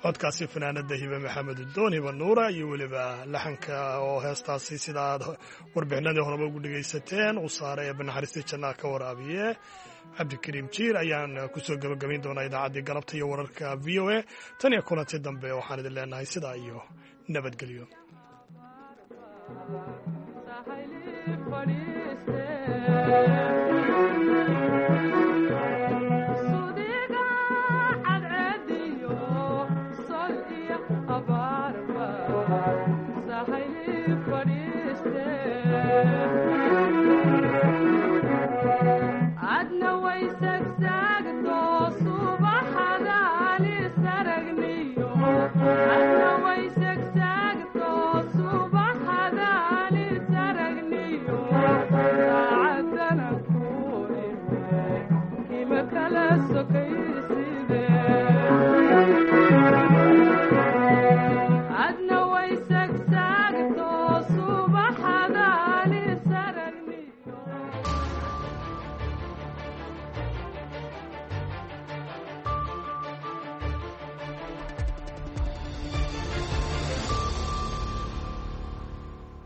Codkaasi fanaanada Hibe Maxamed Udoon, Hiba Nuura, iyo weliba laxanka oo heestaasi sida aad warbixinadii horeba ugu dhegaysateen uu saaray Eebbe naxariistii jannaha ka waraabiye Cabdikariim Jiir ayaan kusoo gebagabayn doonaa idaacaddii galabta iyo wararka V O A. Tan iyo kulanti dambe waxaan idin leenahay sidaa iyo nabadgelyo. Fadhiiste.